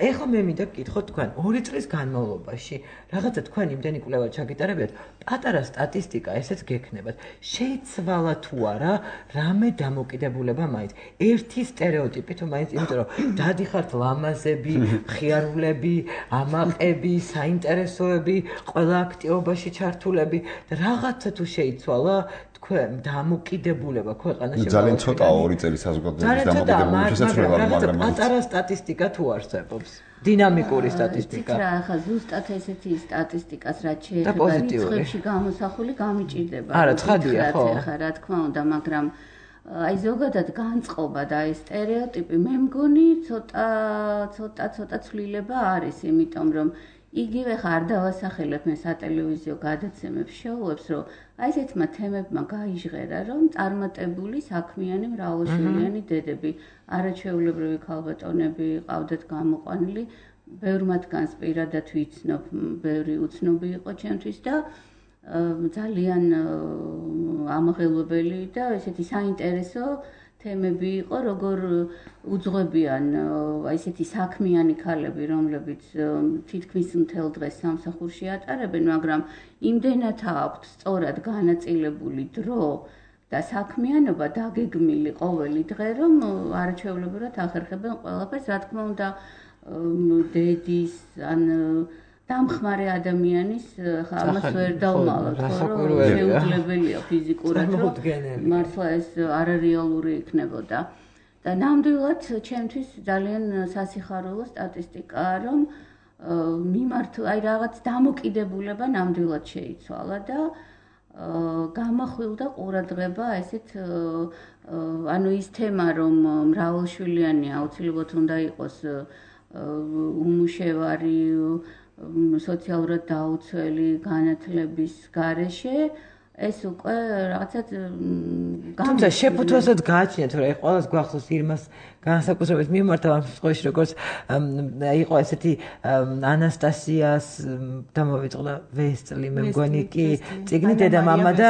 ეხლა მე მინდა გკითხოთ თქვენ, ორი წლის განმავლობაში რაღაცა თქვენ იმდენი კვლევა ჩაგიტარებიათ, პატარა სტატისტიკა ესეც გექნებათ. შეიცვალა თუ არა რამე დამოკიდებულება მაინც. ერთი სტერეოტიპი თუ მაინც, იმიტომ რომ დადიხართ ლამაზები, ხიარულები, ამაყები, საინტერესოები, ყველა აქტივობაში ჩართულები და რაღაცა თუ შეიცვალა თქვენ დამოკიდებულება ქვეყანაში. ძალიან ცოტაა ორი წელი საზოგადოების დამოკიდებულების შესაძლებლობა, მაგრამ პატარა სტატისტიკა თუ არსებობს. დინამიკური სტატისტიკა. რა ახლა ზუსტად ესეთი სტატისტიკას რაც შეეხება რიცხვებში გამოსახული გამიჭირდება. არა, ცხადია, ხო. ახლა რა თქმა უნდა, მაგრამ აი ზოგადად განწყობა და აი სტერეოტიპი მე მგონი ცოტა ცოტა ცოტა ცვლილება არის, იმიტომ რომ იგივე ხარ დავასახელებ მე სატელევიზიო გადაცემებს შოუებს, რომ აი ესეთმა თემებმა გაიჟღერა, რომ წარმატებული საქმიანი მრავალშვილიანი დედები, არაჩვეულებრივი ქალბატონები ყავდათ გამოყვანილი, ბევრ მათგანს პირადად ვიცნობ, ბევრი უცნობი იყო ჩემთვის და ძალიან ამაღელვებელი და ესეთი საინტერესო თემები იყო, როგორ უძღვებიან აი ესეთი საქმიანი ქალები, რომლებიც თითქმის მთელ დღეს სამსახურში ატარებენ, მაგრამ იმდენად აქვთ სწორად განაწილებული დრო და საქმიანობა დაგეგმილი ყოველი დღე, რომ არაჩვეულებრივად ახერხებენ ყველაფერს, რა თქმა უნდა, დედის ან დამხმარე ადამიანის ხა ამას ვერ დავმალოთ, რომ შეუძლებელია ფიზიკურად, რომ მართლა ეს არარეალური იქნებოდა. და ნამდვილად ჩემთვის ძალიან სასიხარულო სტატისტიკაა, რომ მიმართ აი რაღაც დამოკიდებულება ნამდვილად შეიცვალა და გამახვილდა ყურადღება ესეთ ანუ ის თემა, რომ მრავალშვილიანი აუცილებლად უნდა იყოს უმუშევარი სოციალურად დაუცველი განათლების გარეშე ეს უკვე რაღაცა თუმცა შეფუთვასაც გააჩნიათ, რომ ყველას გვახსოვს ირმას განსაკუთრებით მიმართა ამ შემთხვევაში, როგორც იყო ესეთი ანასტასიას დამოვიწყდა ვესწლი, მე მგონი კი წიგნი დედამამა და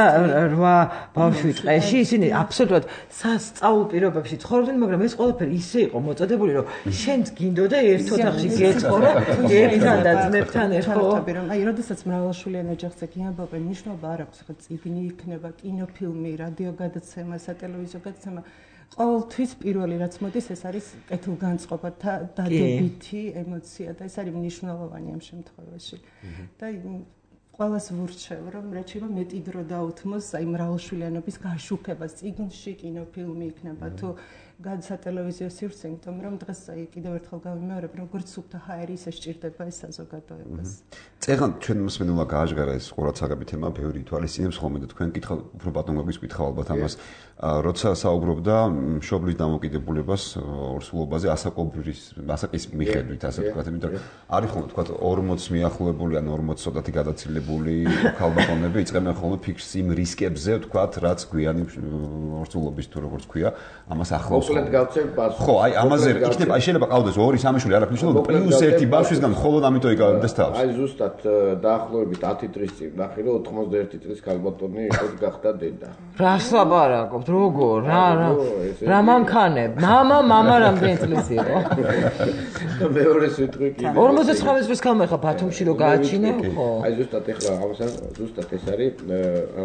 რვა ბავშვი ტყეში, ისინი აბსოლუტურად სასწაულ პირობებში ცხოვრობდნენ, მაგრამ ეს ყველაფერი ისე იყო მოწოდებული, რომ შენც გინდოდა ერთ ოთახში გეცხოვრა, ერთთან და ძმებთან ერთად. რომ აი, როდესაც მრავალშვილიან ოჯახზე გიამბობენ, ნიშნობა არ აქვს, ხო წიგნი იქნება, კინოფილმი, რადიო გადაცემა, სატელევიზიო გადაცემა. ყოველთვის პირველი რაც მოდის, ეს არის კეთილგანწყობა და დადებითი ემოცია და ეს არის მნიშვნელოვანი ამ შემთხვევაში. და ყველას ვურჩევ, რომ რაც შეიძლება მეტი დრო დაუთმოს აი მრავალშვილიანობის გაშუქებას, წიგნში, კინოფილმი იქნება თუ გადასატელევიზიო სივრცე, იმიტომ რომ დღეს აი კიდევ ერთხელ გავიმეორებ, როგორც სუფთა ჰაერი ისე სჭირდება ეს საზოგადოებას. წეგან ჩვენ მოსმენულა გააჟღერა ეს ყურადსაღები თემა, ბევრი ითვალისწინებს ხოლმე და თქვენ კითხავ, უფრო ბატონ გაგვიკითხავ ალბათ ამას. როცა საუბრობდა მშობლის დამოკიდებულებას ორსულობაზე ასაკობრის ასაკის მიხედვით, ასე ვთქვათ, იმიტომ რომ არის ხოლმე ვთქვათ ორმოც მიახლოებული ან ორმოც ცოტათი გადაცილებული ქალბატონები იწყებენ ხოლმე ფიქრს იმ რისკებზე, ვთქვათ, რაც გვიანი ორსულობის თუ როგორც ქვია, ამას ახლავს. მოკლედ გავცემ პასუხს. ხო, აი ამაზე იქნება, აი შეიძლება ყავდეს ორი, სამი შვილი, არ აქვს მნიშვნელობა, პლუს ერთი ბავშვისგან მხოლოდ ამიტომ იკავებდეს თავს. აი ზუსტად დაახლოებით ათი წლის წინ ნახე, რომ ოთხმოცდაერთი წლის ქალბატონი იყო გახდა დედა. რას ლაპარაკობთ? როგორ? რა რა რა მანქანებ? მამა, მამა რამდენი წლის იყო? მეორე სიტყვი კი. ორმოცდაცხრამეტ წლის ქალმა ხა ბათუმში რო გააჩინა, ხო? აი ზუსტად ეხლა ამასთან ზუსტად ეს არის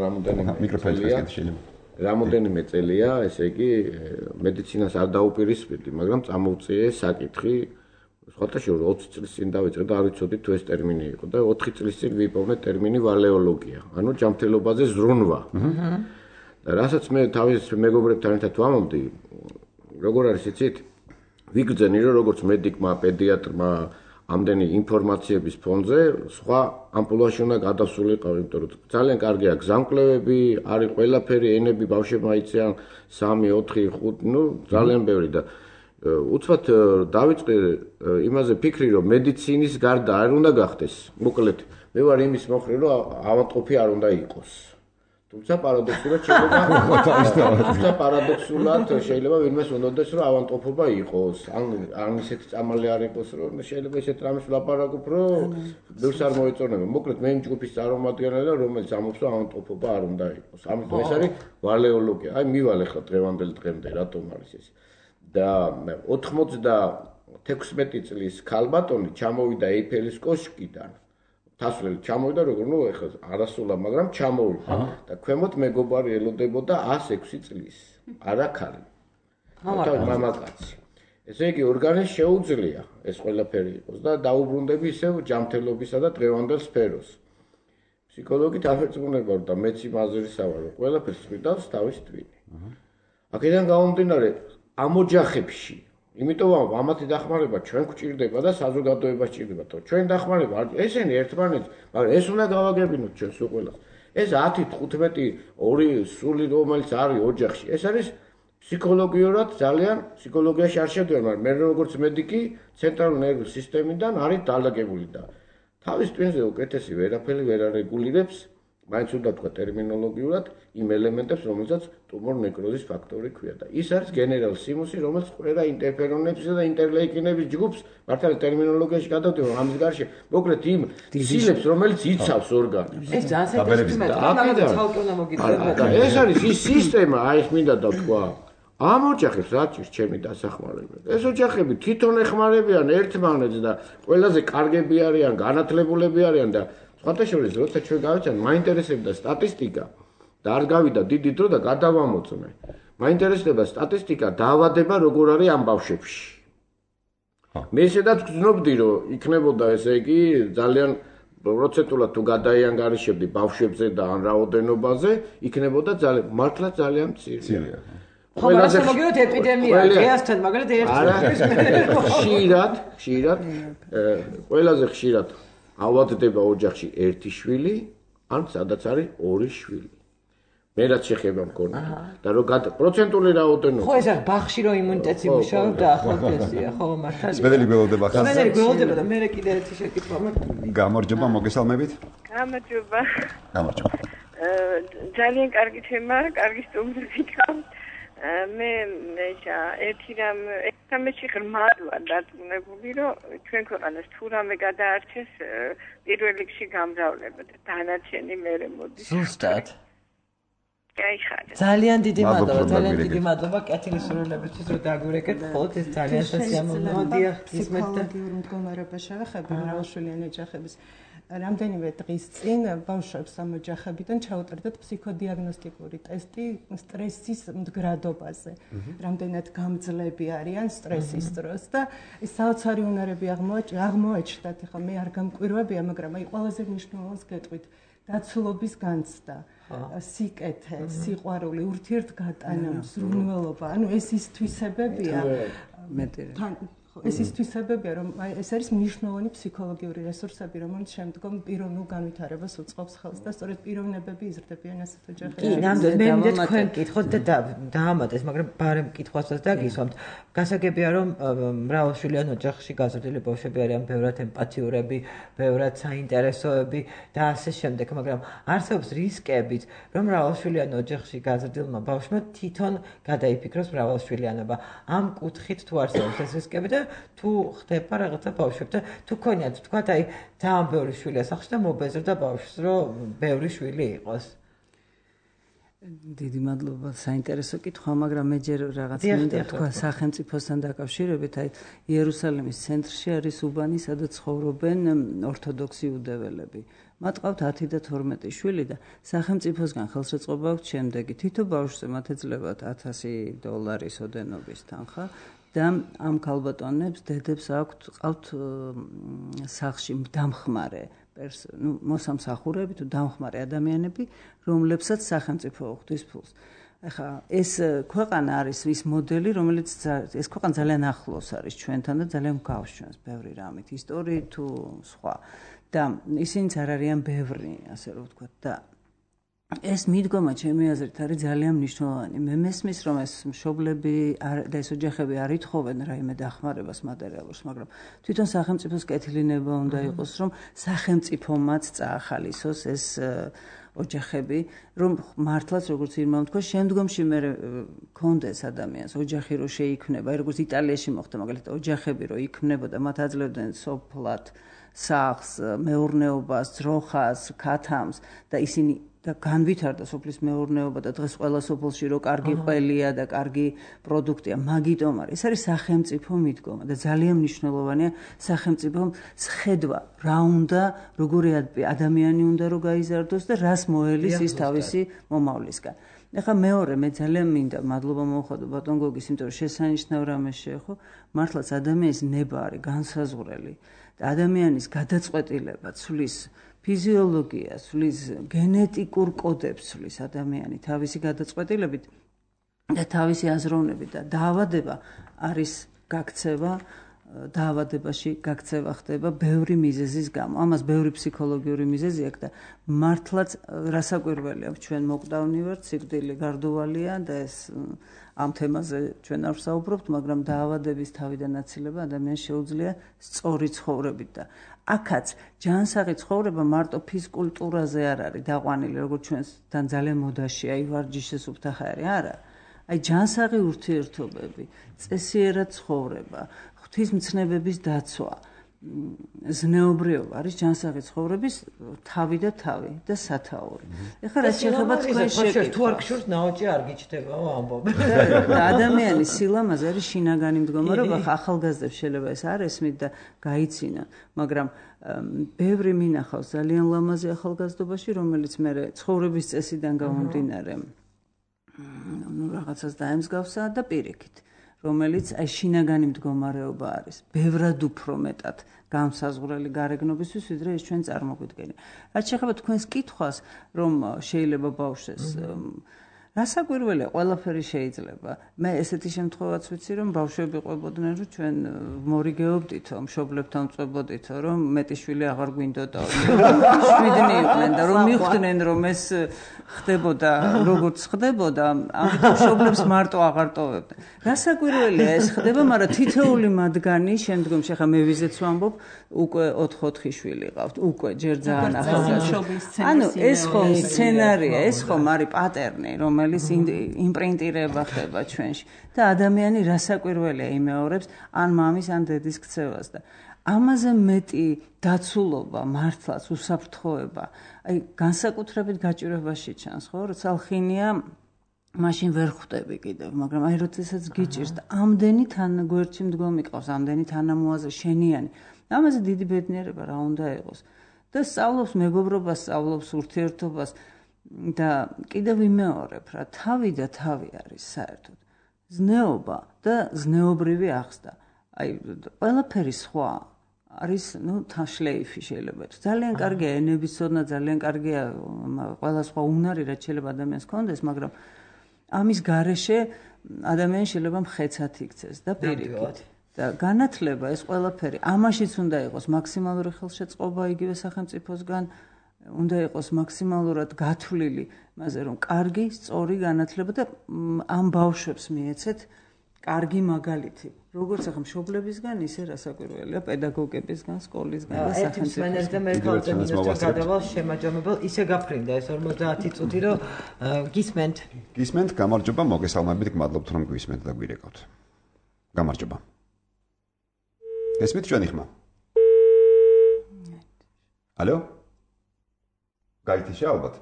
რამოდენიმე მიკროფონი შეიძლება. რამოდენიმე წელია, ესე იგი მედიცინას არ დაუპირისპირდი, მაგრამ წამოვწიე საკითხი სხვათა შორის ოცი წლის წინ დავიწყე და არ ვიცოდი თუ ეს ტერმინი იყო და ოთხი წლის წინ ვიპოვნე ტერმინი ვალეოლოგია, ანუ ჯანმრთელობაზე ზრუნვა. და რასაც მე თავის მეგობრებთან ერთად ვამობდი, როგორ არის იცით? ვიგრძენი რომ როგორც მედიკმა, პედიატრმა ამდენი ინფორმაციების ფონზე სხვა ამპულაში უნდა გადასულიყავ, იმიტომ რომ ძალიან კარგია გზამკვლევები, არის ყველაფერი, ენები ბავშვებმა იციან სამი, ოთხი, ხუთი, ну, ძალიან ბევრი და უცბად დავიწყე იმაზე ფიქრი, რომ მედიცინის გარდა არ უნდა გახდეს. მოკლედ, მე ვარ იმის მოხრე, რომ ავადმყოფი არ უნდა იყოს. თუმცა პარადოქსულად შეიძლება თუმცა პარადოქსულად შეიძლება ვინმეს უნდადეს რომ ავადმყოფობა იყოს ან ან ისეთი წამალი არ იყოს რომ შეიძლება ისეთ რამეს ვლაპარაკობ რომ ბევრს არ მოეწონება მოკლედ მე იმ ჯგუფის წარმომადგენელი რომელიც ამობს რომ ავადმყოფობა არ უნდა იყოს ამიტომ ეს არის ვალეოლოგია აი მივალე ხა დღევანდელ დღემდე რატომ არის ეს და ოთხმოცდათექვსმეტი წლის ქალბატონი ჩამოვიდა ეიფელის კოშკიდან თასვლელი ჩამოვიდა როგორ ნუ ეხლა არასულა მაგრამ ჩამოვიდა და ქვემოთ მეგობარი ელოდებოდა ასექვსი წლის არა ქალი მამაკაცი ესე იგი ორგანიზმს შეუძლია ეს ყველაფერი იყოს და დაუბრუნდები ისევ ჯანმრთელობისა და დღევანდელ სფეროს ფსიქოლოგით აღერწმუნება და მეც იმაზრისა ვარ რომ ყველაფერს ხვიდავს თავის ტვინი აქედან გამომდინარე ამ ოჯახებში იმიტომ რომ ამათი დახმარება ჩვენ გვჭირდება და საზოგადოებას ჭირდება, თო ჩვენ დახმარება ესენი ერთმანეთს, მაგრამ ეს უნდა გავაგებინოთ ჩვენ სულ ყველას. ეს ათი, თხუთმეტი, ორი სული რომელიც არის ოჯახში, ეს არის ფსიქოლოგიურად ძალიან ფსიქოლოგიაში არ შევდივარ, მაგრამ მე როგორც მედიკი ცენტრალური ნერვული სისტემიდან არის დალაგებული და თავის ტვინზე უკეთესი ვერაფერი ვერ არეგულირებს, მაინც უნდა თქვა ტერმინოლოგიურად იმ ელემენტებს, რომელსაც ტუმორ ნეკროზის ფაქტორი ქვია და ის არის გენერალ სიმუსი, რომელიც ყველა ინტერფერონებსა და ინტერლეიკინების ჯგუფს მართალი ტერმინოლოგიაში გადავდივარ ამის გარშე, მოკლედ იმ სილებს, რომელიც იცავს ორგანიზმს. ეს ძალიან საინტერესოა, მაგრამ ცალკე უნდა მოგიწევთ. ეს არის ის სისტემა, აი ეს მინდა დავთქვა. ამ ოჯახებს რა ჭირს ჩემი დასახმარება. ეს ოჯახები თვითონ ეხმარებიან ერთმანეთს და ყველაზე კარგები არიან, განათლებულები არიან და სხვათა შორის როცა ჩვენ გავიცან, მაინტერესებდა სტატისტიკა და არ გავიდა დიდი დრო და გადავამოწმე. მაინტერესდება სტატისტიკა დაავადება როგორ არის ამ ბავშვებში. მე ისედაც გძნობდი რომ იქნებოდა ესე იგი ძალიან პროცენტულად თუ გადაიანგარიშებდი ბავშვებზე და ან რაოდენობაზე, იქნებოდა ძალიან მართლა ძალიან მცირე. ყველაზე მოგიოთ ეპიდემია, დღეასთან მაგალითად ერთის ხშირად, ხშირად, ყველაზე ხშირად ავადდება ოჯახში ერთი შვილი, ან სადაც არის ორი შვილი. მე რაც შეხება მქონდა და რო პროცენტული რაოდენობა. ხო ეს არის ბაღში რო იმუნიტეტი მუშაობდა, ხო ესეა, ხო მართალია. სმენელი გველოდება ხარ. სმენელი გველოდება და მე კიდე ერთი შეკითხვა მაქვს. გამარჯობა, მოგესალმებით. გამარჯობა. გამარჯობა. ძალიან კარგი თემა, კარგი სტუმრები გყავთ. მე ესა ერთი რამ ერთამეში ღრმად ვარ დარწმუნებული, რომ ჩვენ ქვეყანას თუ რამე გადაარჩეს პირველ რიგში გამრავლება და დანარჩენი მერე მოდის. ზუსტად. გაიხარეთ. ძალიან დიდი მადლობა, ძალიან დიდი მადლობა კეთილსურვილებისთვის, რომ დაგვირეკეთ. ეს ძალიან სასიამოვნოა, დიახ, ისმეთ და ფსიქოლოგიურ მდგომარეობას შევეხები მრავალშვილიანი ოჯახების. რამდენიმე დღის წინ ბავშვებს ამ ოჯახებიდან ჩაუტარდათ ფსიქოდიაგნოსტიკური ტესტი სტრესის მდგრადობაზე. რამდენად გამძლები არიან სტრესის დროს და ეს საოცარი უნარები აღმოაჩნდათ. ეხლა მე არ გამკვირვებია, მაგრამ აი ყველაზე მნიშვნელოვანს გეტყვით. დაცულობის განცდა, სიკეთე, სიყვარული, ურთიერთგატანა, მსურველობა, ანუ ეს ის თვისებებია. მეტი. ეს ის თვისებებია, რომ ეს არის მნიშვნელოვანი ფსიქოლოგიური რესურსები, რომელიც შემდგომ პიროვნულ განვითარებას უწყობს ხელს და სწორედ პიროვნებები იზრდებიან ასეთ ოჯახებში. კი, ნამდვილად მე მინდა თქვენ კითხოთ და დაამატეს, მაგრამ ბარემ კითხვასაც დაგისვამთ. გასაგებია, რომ მრავალშვილიან ოჯახში გაზრდილი ბავშვები არიან ბევრად ემპათიურები, ბევრად საინტერესოები და ასე შემდეგ, მაგრამ არსებობს რისკებიც, რომ მრავალშვილიან ოჯახში გაზრდილმა ბავშვმა თვითონ გადაიფიქროს მრავალშვილიანობა. ამ კუთხით თუ არსებობს ეს რისკები და თუ ხდება რაღაცა ბავშვებთან, თუ ქონიათ თქვა, აი ძალიან ბევრი შვილი ასახში და მობეზრდა ბავშვს, რომ ბევრი შვილი იყოს. დიდი მადლობა, საინტერესო კითხვა, მაგრამ მე ჯერ რაღაც მინდა თქვა სახელმწიფოსთან დაკავშირებით, აი იერუსალიმის ცენტრში არის უბანი, სადაც ცხოვრობენ ორთოდოქსი იუდეველები. მათ ყავთ ათი და თორმეტი შვილი და სახელმწიფოსგან ხელშეწყობა აქვს შემდეგი. თითო ბავშვზე მათ ეძლებათ ათასი დოლარის ოდენობის თანხა. და ამ ქალბატონებს დედებს აქვთ ყავთ სახლში დამხმარე ნუ მოსამსახურები თუ დამხმარე ადამიანები, რომლებსაც სახელმწიფო უხდის ფულს. ახლა ეს ქვეყანა არის ის მოდელი, რომელიც ეს ქვეყანა ძალიან ახლოს არის ჩვენთან და ძალიან მგავს ჩვენს ბევრი რამით, ისტორიით თუ სხვა. და ისინიც არ არიან ბევრი, ასე რომ ვთქვათ და ეს მიდგომა ჩემი აზრით არის ძალიან მნიშვნელოვანი. მე მესმის რომ ეს მშობლები და ეს ოჯახები არ ითხოვენ რაიმე დახმარებას მატერიალურს, მაგრამ თვითონ სახელმწიფოს კეთილინება უნდა იყოს, რომ სახელმწიფომაც წაახალისოს ეს ოჯახები, რომ მართლაც როგორც ირმა თქვა, შემდგომში მე კონდეს ადამიანს ოჯახი რო შეიქმნება, აი როგორც იტალიაში მოხდა მაგალითად ოჯახები რო იქმნებოდა, მათ აძლევდნენ სოფლად, სახლს, მეურნეობას, ძროხას, ქათამს და ისინი და განვითარდა სოფლის მეურნეობა და დღეს ყველა სოფელში რო კარგი ყველია და კარგი პროდუქტია, მაგიტომ არის. ეს არის სახელმწიფო მიდგომა და ძალიან მნიშვნელოვანია სახელმწიფომ ხედვა, რა უნდა, როგორი ადამიანი უნდა რომ გაიზარდოს და რას მოელის ის თავისი მომავლისგან. ეხლა მეორე მე ძალიან მინდა მადლობა მოვხადო ბატონ გოგის, იმიტომ რომ შესანიშნავ რამეს შეეხო, მართლაც ადამიანის ნება არის განსაზღვრელი და ადამიანის გადაწყვეტილება ცვლის ფიზიოლოგია, ცვლის გენეტიკურ კოდებს ცვლის ადამიანი თავისი გადაწყვეტილებით და თავისი აზროვნებით და დაავადება არის გაქცევა დაავადებაში გაქცევა ხდება ბევრი მიზეზის გამო. ამას ბევრი ფსიქოლოგიური მიზეზი აქვს და მართლაც რასაკვირველია ჩვენ მოკვდავნი ვართ, სიკვდილი გარდუვალია და ეს ამ თემაზე ჩვენ არ ვსაუბრობთ, მაგრამ დაავადების თავიდან აცილება ადამიანს შეუძლია სწორი ცხოვრებით და აქაც ჯანსაღი ცხოვრება მარტო ფიზკულტურაზე არ არის დაყვანილი, როგორც ჩვენთან ძალიან მოდაშია, აი ვარჯიშის უფთახარი არა. აი ჯანსაღი ურთიერთობები, წესიერად ცხოვრება, ღვთისმცნებების დაცვა, ზნეობრიობა არის ჯანსაღი ცხოვრების თავი და თავი და სათაური. ეხლა რაც შეეხება თქვენ შეკითხვა, თუ არ გშურს ნაოჭი არ გიჩნდებაო ამბობ. და ადამიანის სილამაზე არის შინაგანი მდგომარეობა, ახალგაზრდებს შეიძლება ეს არ ესმით და გაიცინონ, მაგრამ ბევრი მინახავს ძალიან ლამაზი ახალგაზრდობაში, რომელიც მე ცხოვრების წესიდან გამომდინარე ну რაღაცას დაემსგავსა და პირიქით რომელიც აი შინაგანი მდგომარეობა არის ბევრად უფრო მეტად განსაზღვრელი გარეგნობისთვის ვიდრე ეს ჩვენ წარმოგვიდგენია. რაც შეეხება თქვენს კითხვას რომ შეიძლება ბავშვს რასაკვირველია ყველაფერი შეიძლება. მე ესეთი შემთხვევაც ვიცი რომ ბავშვები ყვებოდნენ რომ ჩვენ მორიგეობდითო მშობლებთან წვებოდითო რომ მეტი შვილი აღარ გვინდოდა. შვიდნი იყვნენ და რომ მიხვდნენ რომ ეს ხდებოდა როგორც ხდებოდა ამიტომ მშობლებს მარტო აღარ ტოვებდნენ. რასაკვირველია ეს ხდება, მაგრამ თითოეული მათგანი შემდგომში ახლა მე ვიზეც ვამბობ უკვე ოთხ-ოთხი შვილი ყავთ, უკვე ჯერ ძალიან ახალგაზრდა. ანუ ეს ხომ სცენარია, ეს ხომ არის პატერნი, რომელიც იმპრინტირება ხდება ჩვენში და ადამიანი რასაკვირველია იმეორებს ან მამის ან დედის ქცევას და ამაზე მეტი დაცულობა, მართლაც უსაფრთხოება, აი განსაკუთრებით გაჭირვებაში ჩანს, ხო, როცა ხინია მაშინ ვერ ხვდები კიდევ, მაგრამ აი როდესაც გიჭირს და ამდენი თან გვერდში მდგომი ყავს, ამდენი თანამოაზრე შენიანი, ამაზე დიდი ბედნიერება რა უნდა იყოს და სწავლობს მეგობრობას, სწავლობს ურთიერთობას და კიდევ ვიმეორებ რა, თავი და თავი არის საერთოდ ზნეობა და ზნეობრივი აღზრდა. აი ყველაფერი სხვა არის, ну, თაშლეიფი შეიძლება იყოს. ძალიან კარგია ენების ცოდნა, ძალიან კარგია ყველა სხვა უნარი, რაც შეიძლება ადამიანს ჰქონდეს, მაგრამ ამის გარეშე ადამიანი შეიძლება მხეცად იქცეს და პირიქით. და განათლება ეს ყველაფერი ამაშიც უნდა იყოს მაქსიმალური ხელშეწყობა იგივე სახელმწიფოსგან, უნდა იყოს მაქსიმალურად გათვლილი, მასე რომ კარგი, სწორი განათლება და ამ ბავშვებს მიეცეთ კარგი მაგალითი. როგორც ახლა მშობლებისგან, ისე რასაკვირველია პედაგოგებისგან, სკოლისგან და სახელმწიფოსგან. მენეჯერ და მერქალზე მინისტრ გადავალ შემაჯამებელ ისე გაფრინდა ეს ორმოცდაათი წუთი, რომ გისმენთ. გისმენთ, გამარჯობა, მოგესალმებით, გმადლობთ რომ გვისმენთ და გვირეკავთ. გამარჯობა. გესმით ჩვენი ხმა? ალო? გაითიშა ალბათ.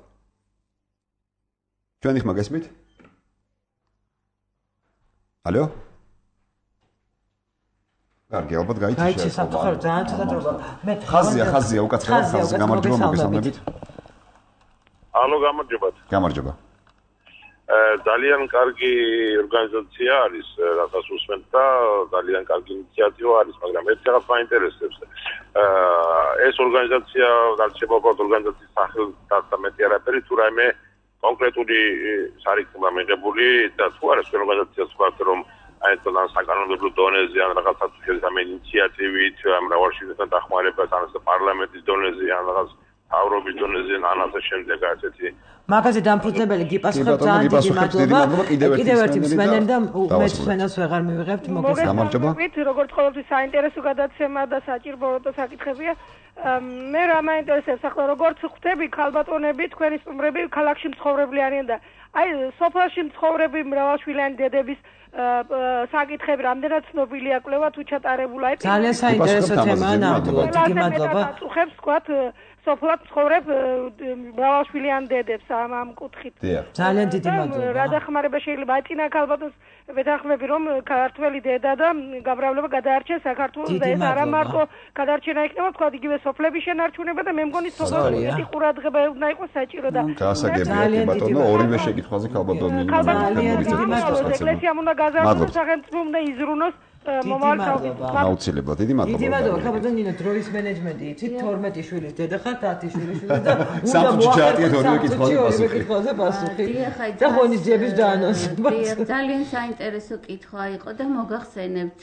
ჩვენი ხმა გესმით? ალო? კარგი, ალბათ გაითიშა. გაითიშა, საფრთხე ძალიან ცოტა. მე ხაზია, ხაზია, უკაცრავად ხაზზე გამარჯობა, მოგესალმებით. ალო, გამარჯობა. გამარჯობა. ძალიან კარგი ორგანიზაცია არის, რასაც უსმენთ და ძალიან კარგი ინიციატივა არის, მაგრამ ერთ რაღაც მაინტერესებს. ეს ორგანიზაცია, რაც შეგვაქვს ორგანიზაციის სახელს და მეტი არაფერი, თუ რაიმე კონკრეტული სარიცხმა მიღებული და თუ არის ეს ორგანიზაცია ვთქვათ, რომ აი ეს ან საკანონმდებლო დონეზე ან რაღაცა შეიძლება ამ ინიციატივით, მრავალშვილთან დახმარებას ან პარლამენტის დონეზე ან რაღაც თავრობის დონეზე ან ასე შემდეგ ასეთი მაგაზე დამფუძნებელი გიპასუხებ ძალიან დიდი მადლობა. კიდევ ერთი მსმენელი და მე მსმენელს ვეღარ მივიღებთ, მოგესალმებით. როგორც ყოველთვის საინტერესო გადაცემა და საჭირო საკითხებია. მე რა მაინტერესებს ახლა როგორც ხვდები ქალბატონები, თქვენი სტუმრები ქალაქში მცხოვრები არიან და აი სოფელში მცხოვრები მრავალშვილიანი დედების საკითხები რამდენად ცნობილია კვლევა თუ ჩატარებულა ეს ძალიან საინტერესო თემაა ნამდვილად. დიდი მადლობა. უხებს თქვათ სოფლად ცხოვრებ მრავალშვილიან დედებს ამ ამ კუთხით. ძალიან დიდი მადლობა. რა დახმარება შეიძლება აწინა ქალბატონს ვეთანხმები რომ ქართული დედა და გამრავლება გადაარჩეს საქართველოს და ეს არა მარტო გადარჩენა იქნება თქვა იგივე სოფლების შენარჩუნება და მე მგონი სოფლები ყურადღება უნდა იყოს საჭირო და გასაგებია ბატონო ორივე შეკითხვაზე ქალბატონი ეკლესიამ უნდა გაზარდოს სახელმწიფო უნდა იზრუნოს აუცილებლად დიდი მადლობა. დიდი მადლობა, ხაბატონ ნინო, დროის მენეჯმენტი იცით, თორმეტი შვილის დედა ხართ, ათი შვილის შვილი და უნდა მოახერხოთ ორივე კითხვაზე პასუხი. და ღონისძიების დაანონსება. ძალიან საინტერესო კითხვა იყო და მოგახსენებთ,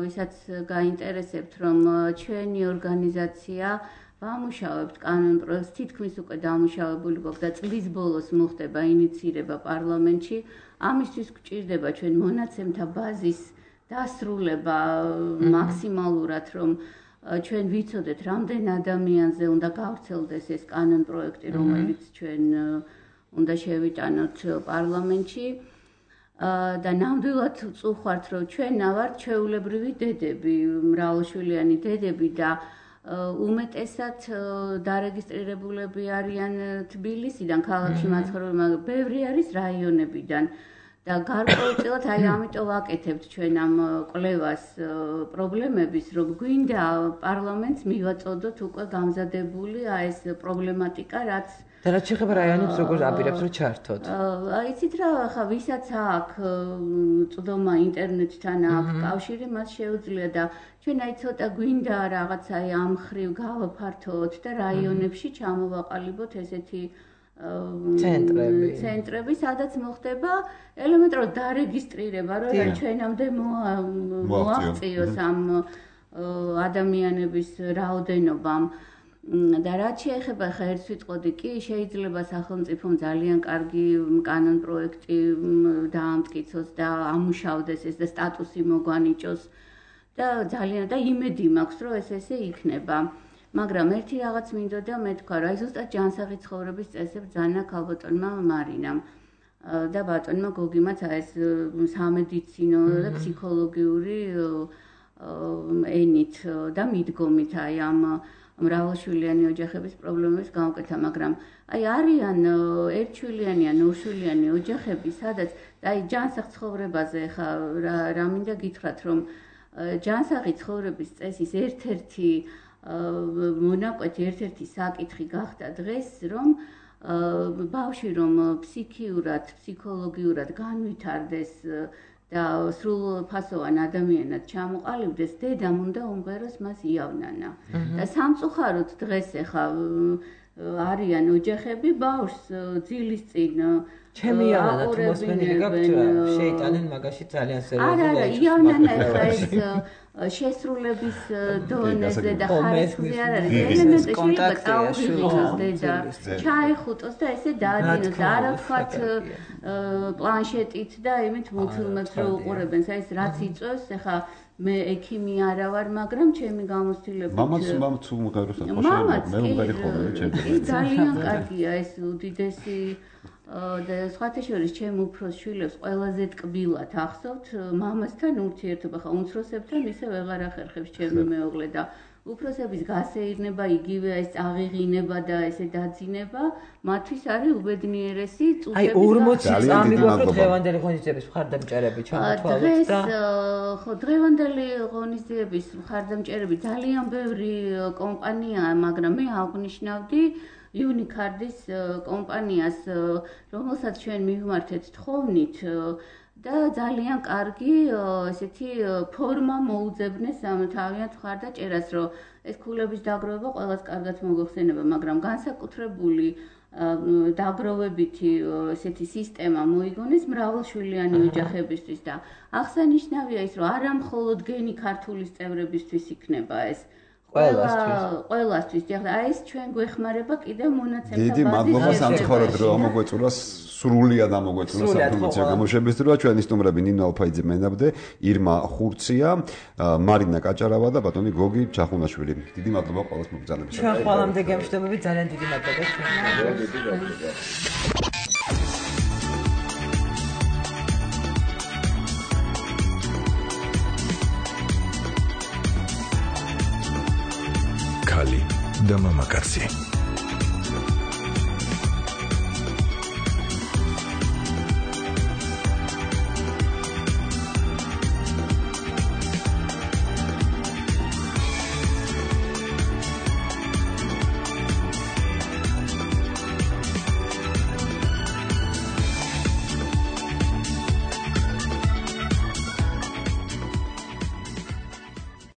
ვისაც გაინტერესებთ, რომ ჩვენი ორგანიზაცია ვამუშავებთ კანონპროექტს, თითქმის უკვე დამუშავებული გვაქვს და წლის ბოლოს მოხდება ინიცირება პარლამენტში. ამისთვის გვჭირდება ჩვენ მონაცემთა ბაზის დასრულება მაქსიმალურად, რომ ჩვენ ვიცოდეთ, რამდენ ადამიანზე უნდა გავრცელდეს ეს კანონპროექტი, რომელიც ჩვენ უნდა შევიტანოთ პარლამენტში. და ნამდვილად წუხართ, რომ ჩვენ ვართ ჩვეულებრივი დედები, მრავალშვილიანი დედები და უმეტესად დარეგისტრირებულები არიან თბილისიდან, ქალაქში მაცხოვრებელი, მაგრამ ბევრი არის რაიონებიდან. და გარკვეულწილად აი ამიტომ ვაკეთებთ ჩვენ ამ კვლევას პრობლემების, რომ გვინდა პარლამენტს მივაწოდოთ უკვე გამზადებული აი ეს პრობლემატიკა, რაც და რაც შეეხება რაიონებს, როგორ აპირებს რომ ჩართოთ. აი იცით რა, ხა ვისაც აქვს წვდომა ინტერნეტთან აქვს კავშირი, მას შეუძლია და ჩვენ აი ცოტა გვინდა რაღაცა აი ამ ხრივ გავაფართოთ და რაიონებში ჩამოვაყალიბოთ ესეთი ცენტრები, ცენტრები, სადაც მოხდება ელემენტარულად დარეგისტრირება, რომ ჩვენამდე მოაღწიოს ამ ადამიანების რაოდენობამ. და რაც შეეხება ხერხს ვიტყოდი კი, შეიძლება სახელმწიფომ ძალიან კარგი კანონპროექტი დაამტკიცოს და ამუშავდეს ეს და სტატუსი მოგვანიჭოს და ძალიან და იმედი მაქვს, რომ ეს ესე იქნება. მაგრამ ერთი რაღაც მინდოდა მე თქვა, რა ზუსტად ჯანსაღი ცხოვრების წესებს ძანა ქალბატონმა მარინამ და ბატონმა გოგიმაც ეს სამედიცინო და ფსიქოლოგიური ენით და მიდგომით აი ამ მრავალშვილიანი ოჯახების პრობლემების გამოკეთა, მაგრამ აი არიან ერთშვილიანი ან ორშვილიანი ოჯახები, სადაც აი ჯანსაღ ცხოვრებაზე ხა რა მინდა გითხრათ, რომ ჯანსაღი ცხოვრების წესის ერთ-ერთი მონაკვეთი, ერთ-ერთი საკითხი გახდა დღეს, რომ ბავშვი რომ ფსიქიურად, ფსიქოლოგიურად განვითარდეს და სრულფასოვან ადამიანად ჩამოყალიბდეს, დედამ უნდა უმღეროს მას იავნანა. და სამწუხაროდ დღეს ახლა არიან ოჯახები ბავშვს ძილის წინ ჩემი იავნანა თუ მოსმენილი გაქვთ, შეიტანენ მაგაში ძალიან სერიოზულად. არა, არა, იავნანა ახლა ეს შესრულების დონეზე და ხარისხზე არ არის. ელემენტი შეიძლება წაუღიოს დედა, ჩაეხუტოს და ესე დაადგინოს და არა ვთქვათ პლანშეტით და იმით მულტფილმებს რო უყურებენ, ეს რაც იწვევს, ახლა მე ექიმი არა ვარ, მაგრამ ჩემი გამოცდილებით მამაც მამაც უმღეროს ახლა შეიძლება მე უმღერი ხოლმე ჩემი. ძალიან კარგია ეს უდიდესი და სხვათა შორის ჩემ უფროს შვილებს ყველაზე ტკბილად ახსოვთ მამასთან ურთიერთობა, ხა უმცროსებთან ისე ვეღარ ახერხებს ჩემი მეუღლე და უფროსების გასეირნება, იგივე ეს აღიღინება და ესე დაძინება, მათთვის არის უბედნიერესი წუთების. აი ორმოცი წამი გვაქვს დღევანდელი ღონისძიების მხარდამჭერები ჩამოთვალოთ და ხო დღევანდელი ღონისძიების მხარდამჭერები ძალიან ბევრი კომპანიაა, მაგრამ მე აღნიშნავდი Unicard-ის კომპანიას, რომელსაც ჩვენ მივმართეთ თხოვნით და ძალიან კარგი ესეთი ფორმა მოუძებნეს ამ თავიანთ მხარდაჭერას, რომ ეს ქულების დაგროვება ყველას კარგად მოგხსენება, მაგრამ განსაკუთრებული დაგროვებითი ესეთი სისტემა მოიგონეს მრავალშვილიანი ოჯახებისთვის და აღსანიშნავია ის, რომ არა მხოლოდ გენი ქართულის წევრებისთვის იქნება ეს ყველასთვის. ყველასთვის. ახლა ეს ჩვენ გვეხმარება კიდევ მონაცემთა ბაზის. დიდი მადლობა სამწუხაროდ რომ ამოგვეწურა სრულიად ამოგვეწურა საფორმაციო გამოშვების დროა. ჩვენი სტუმრები ნინო ალფაიძე მენაბდე, ირმა ხურცია, მარინა კაჭარავა და ბატონი გოგი ჩახუნაშვილი. დიდი მადლობა ყველას მოგზაურობისთვის. ჩვენ ყველამდე გემშვიდობებით, ძალიან დიდი მადლობა. ქალი და მამაკაცი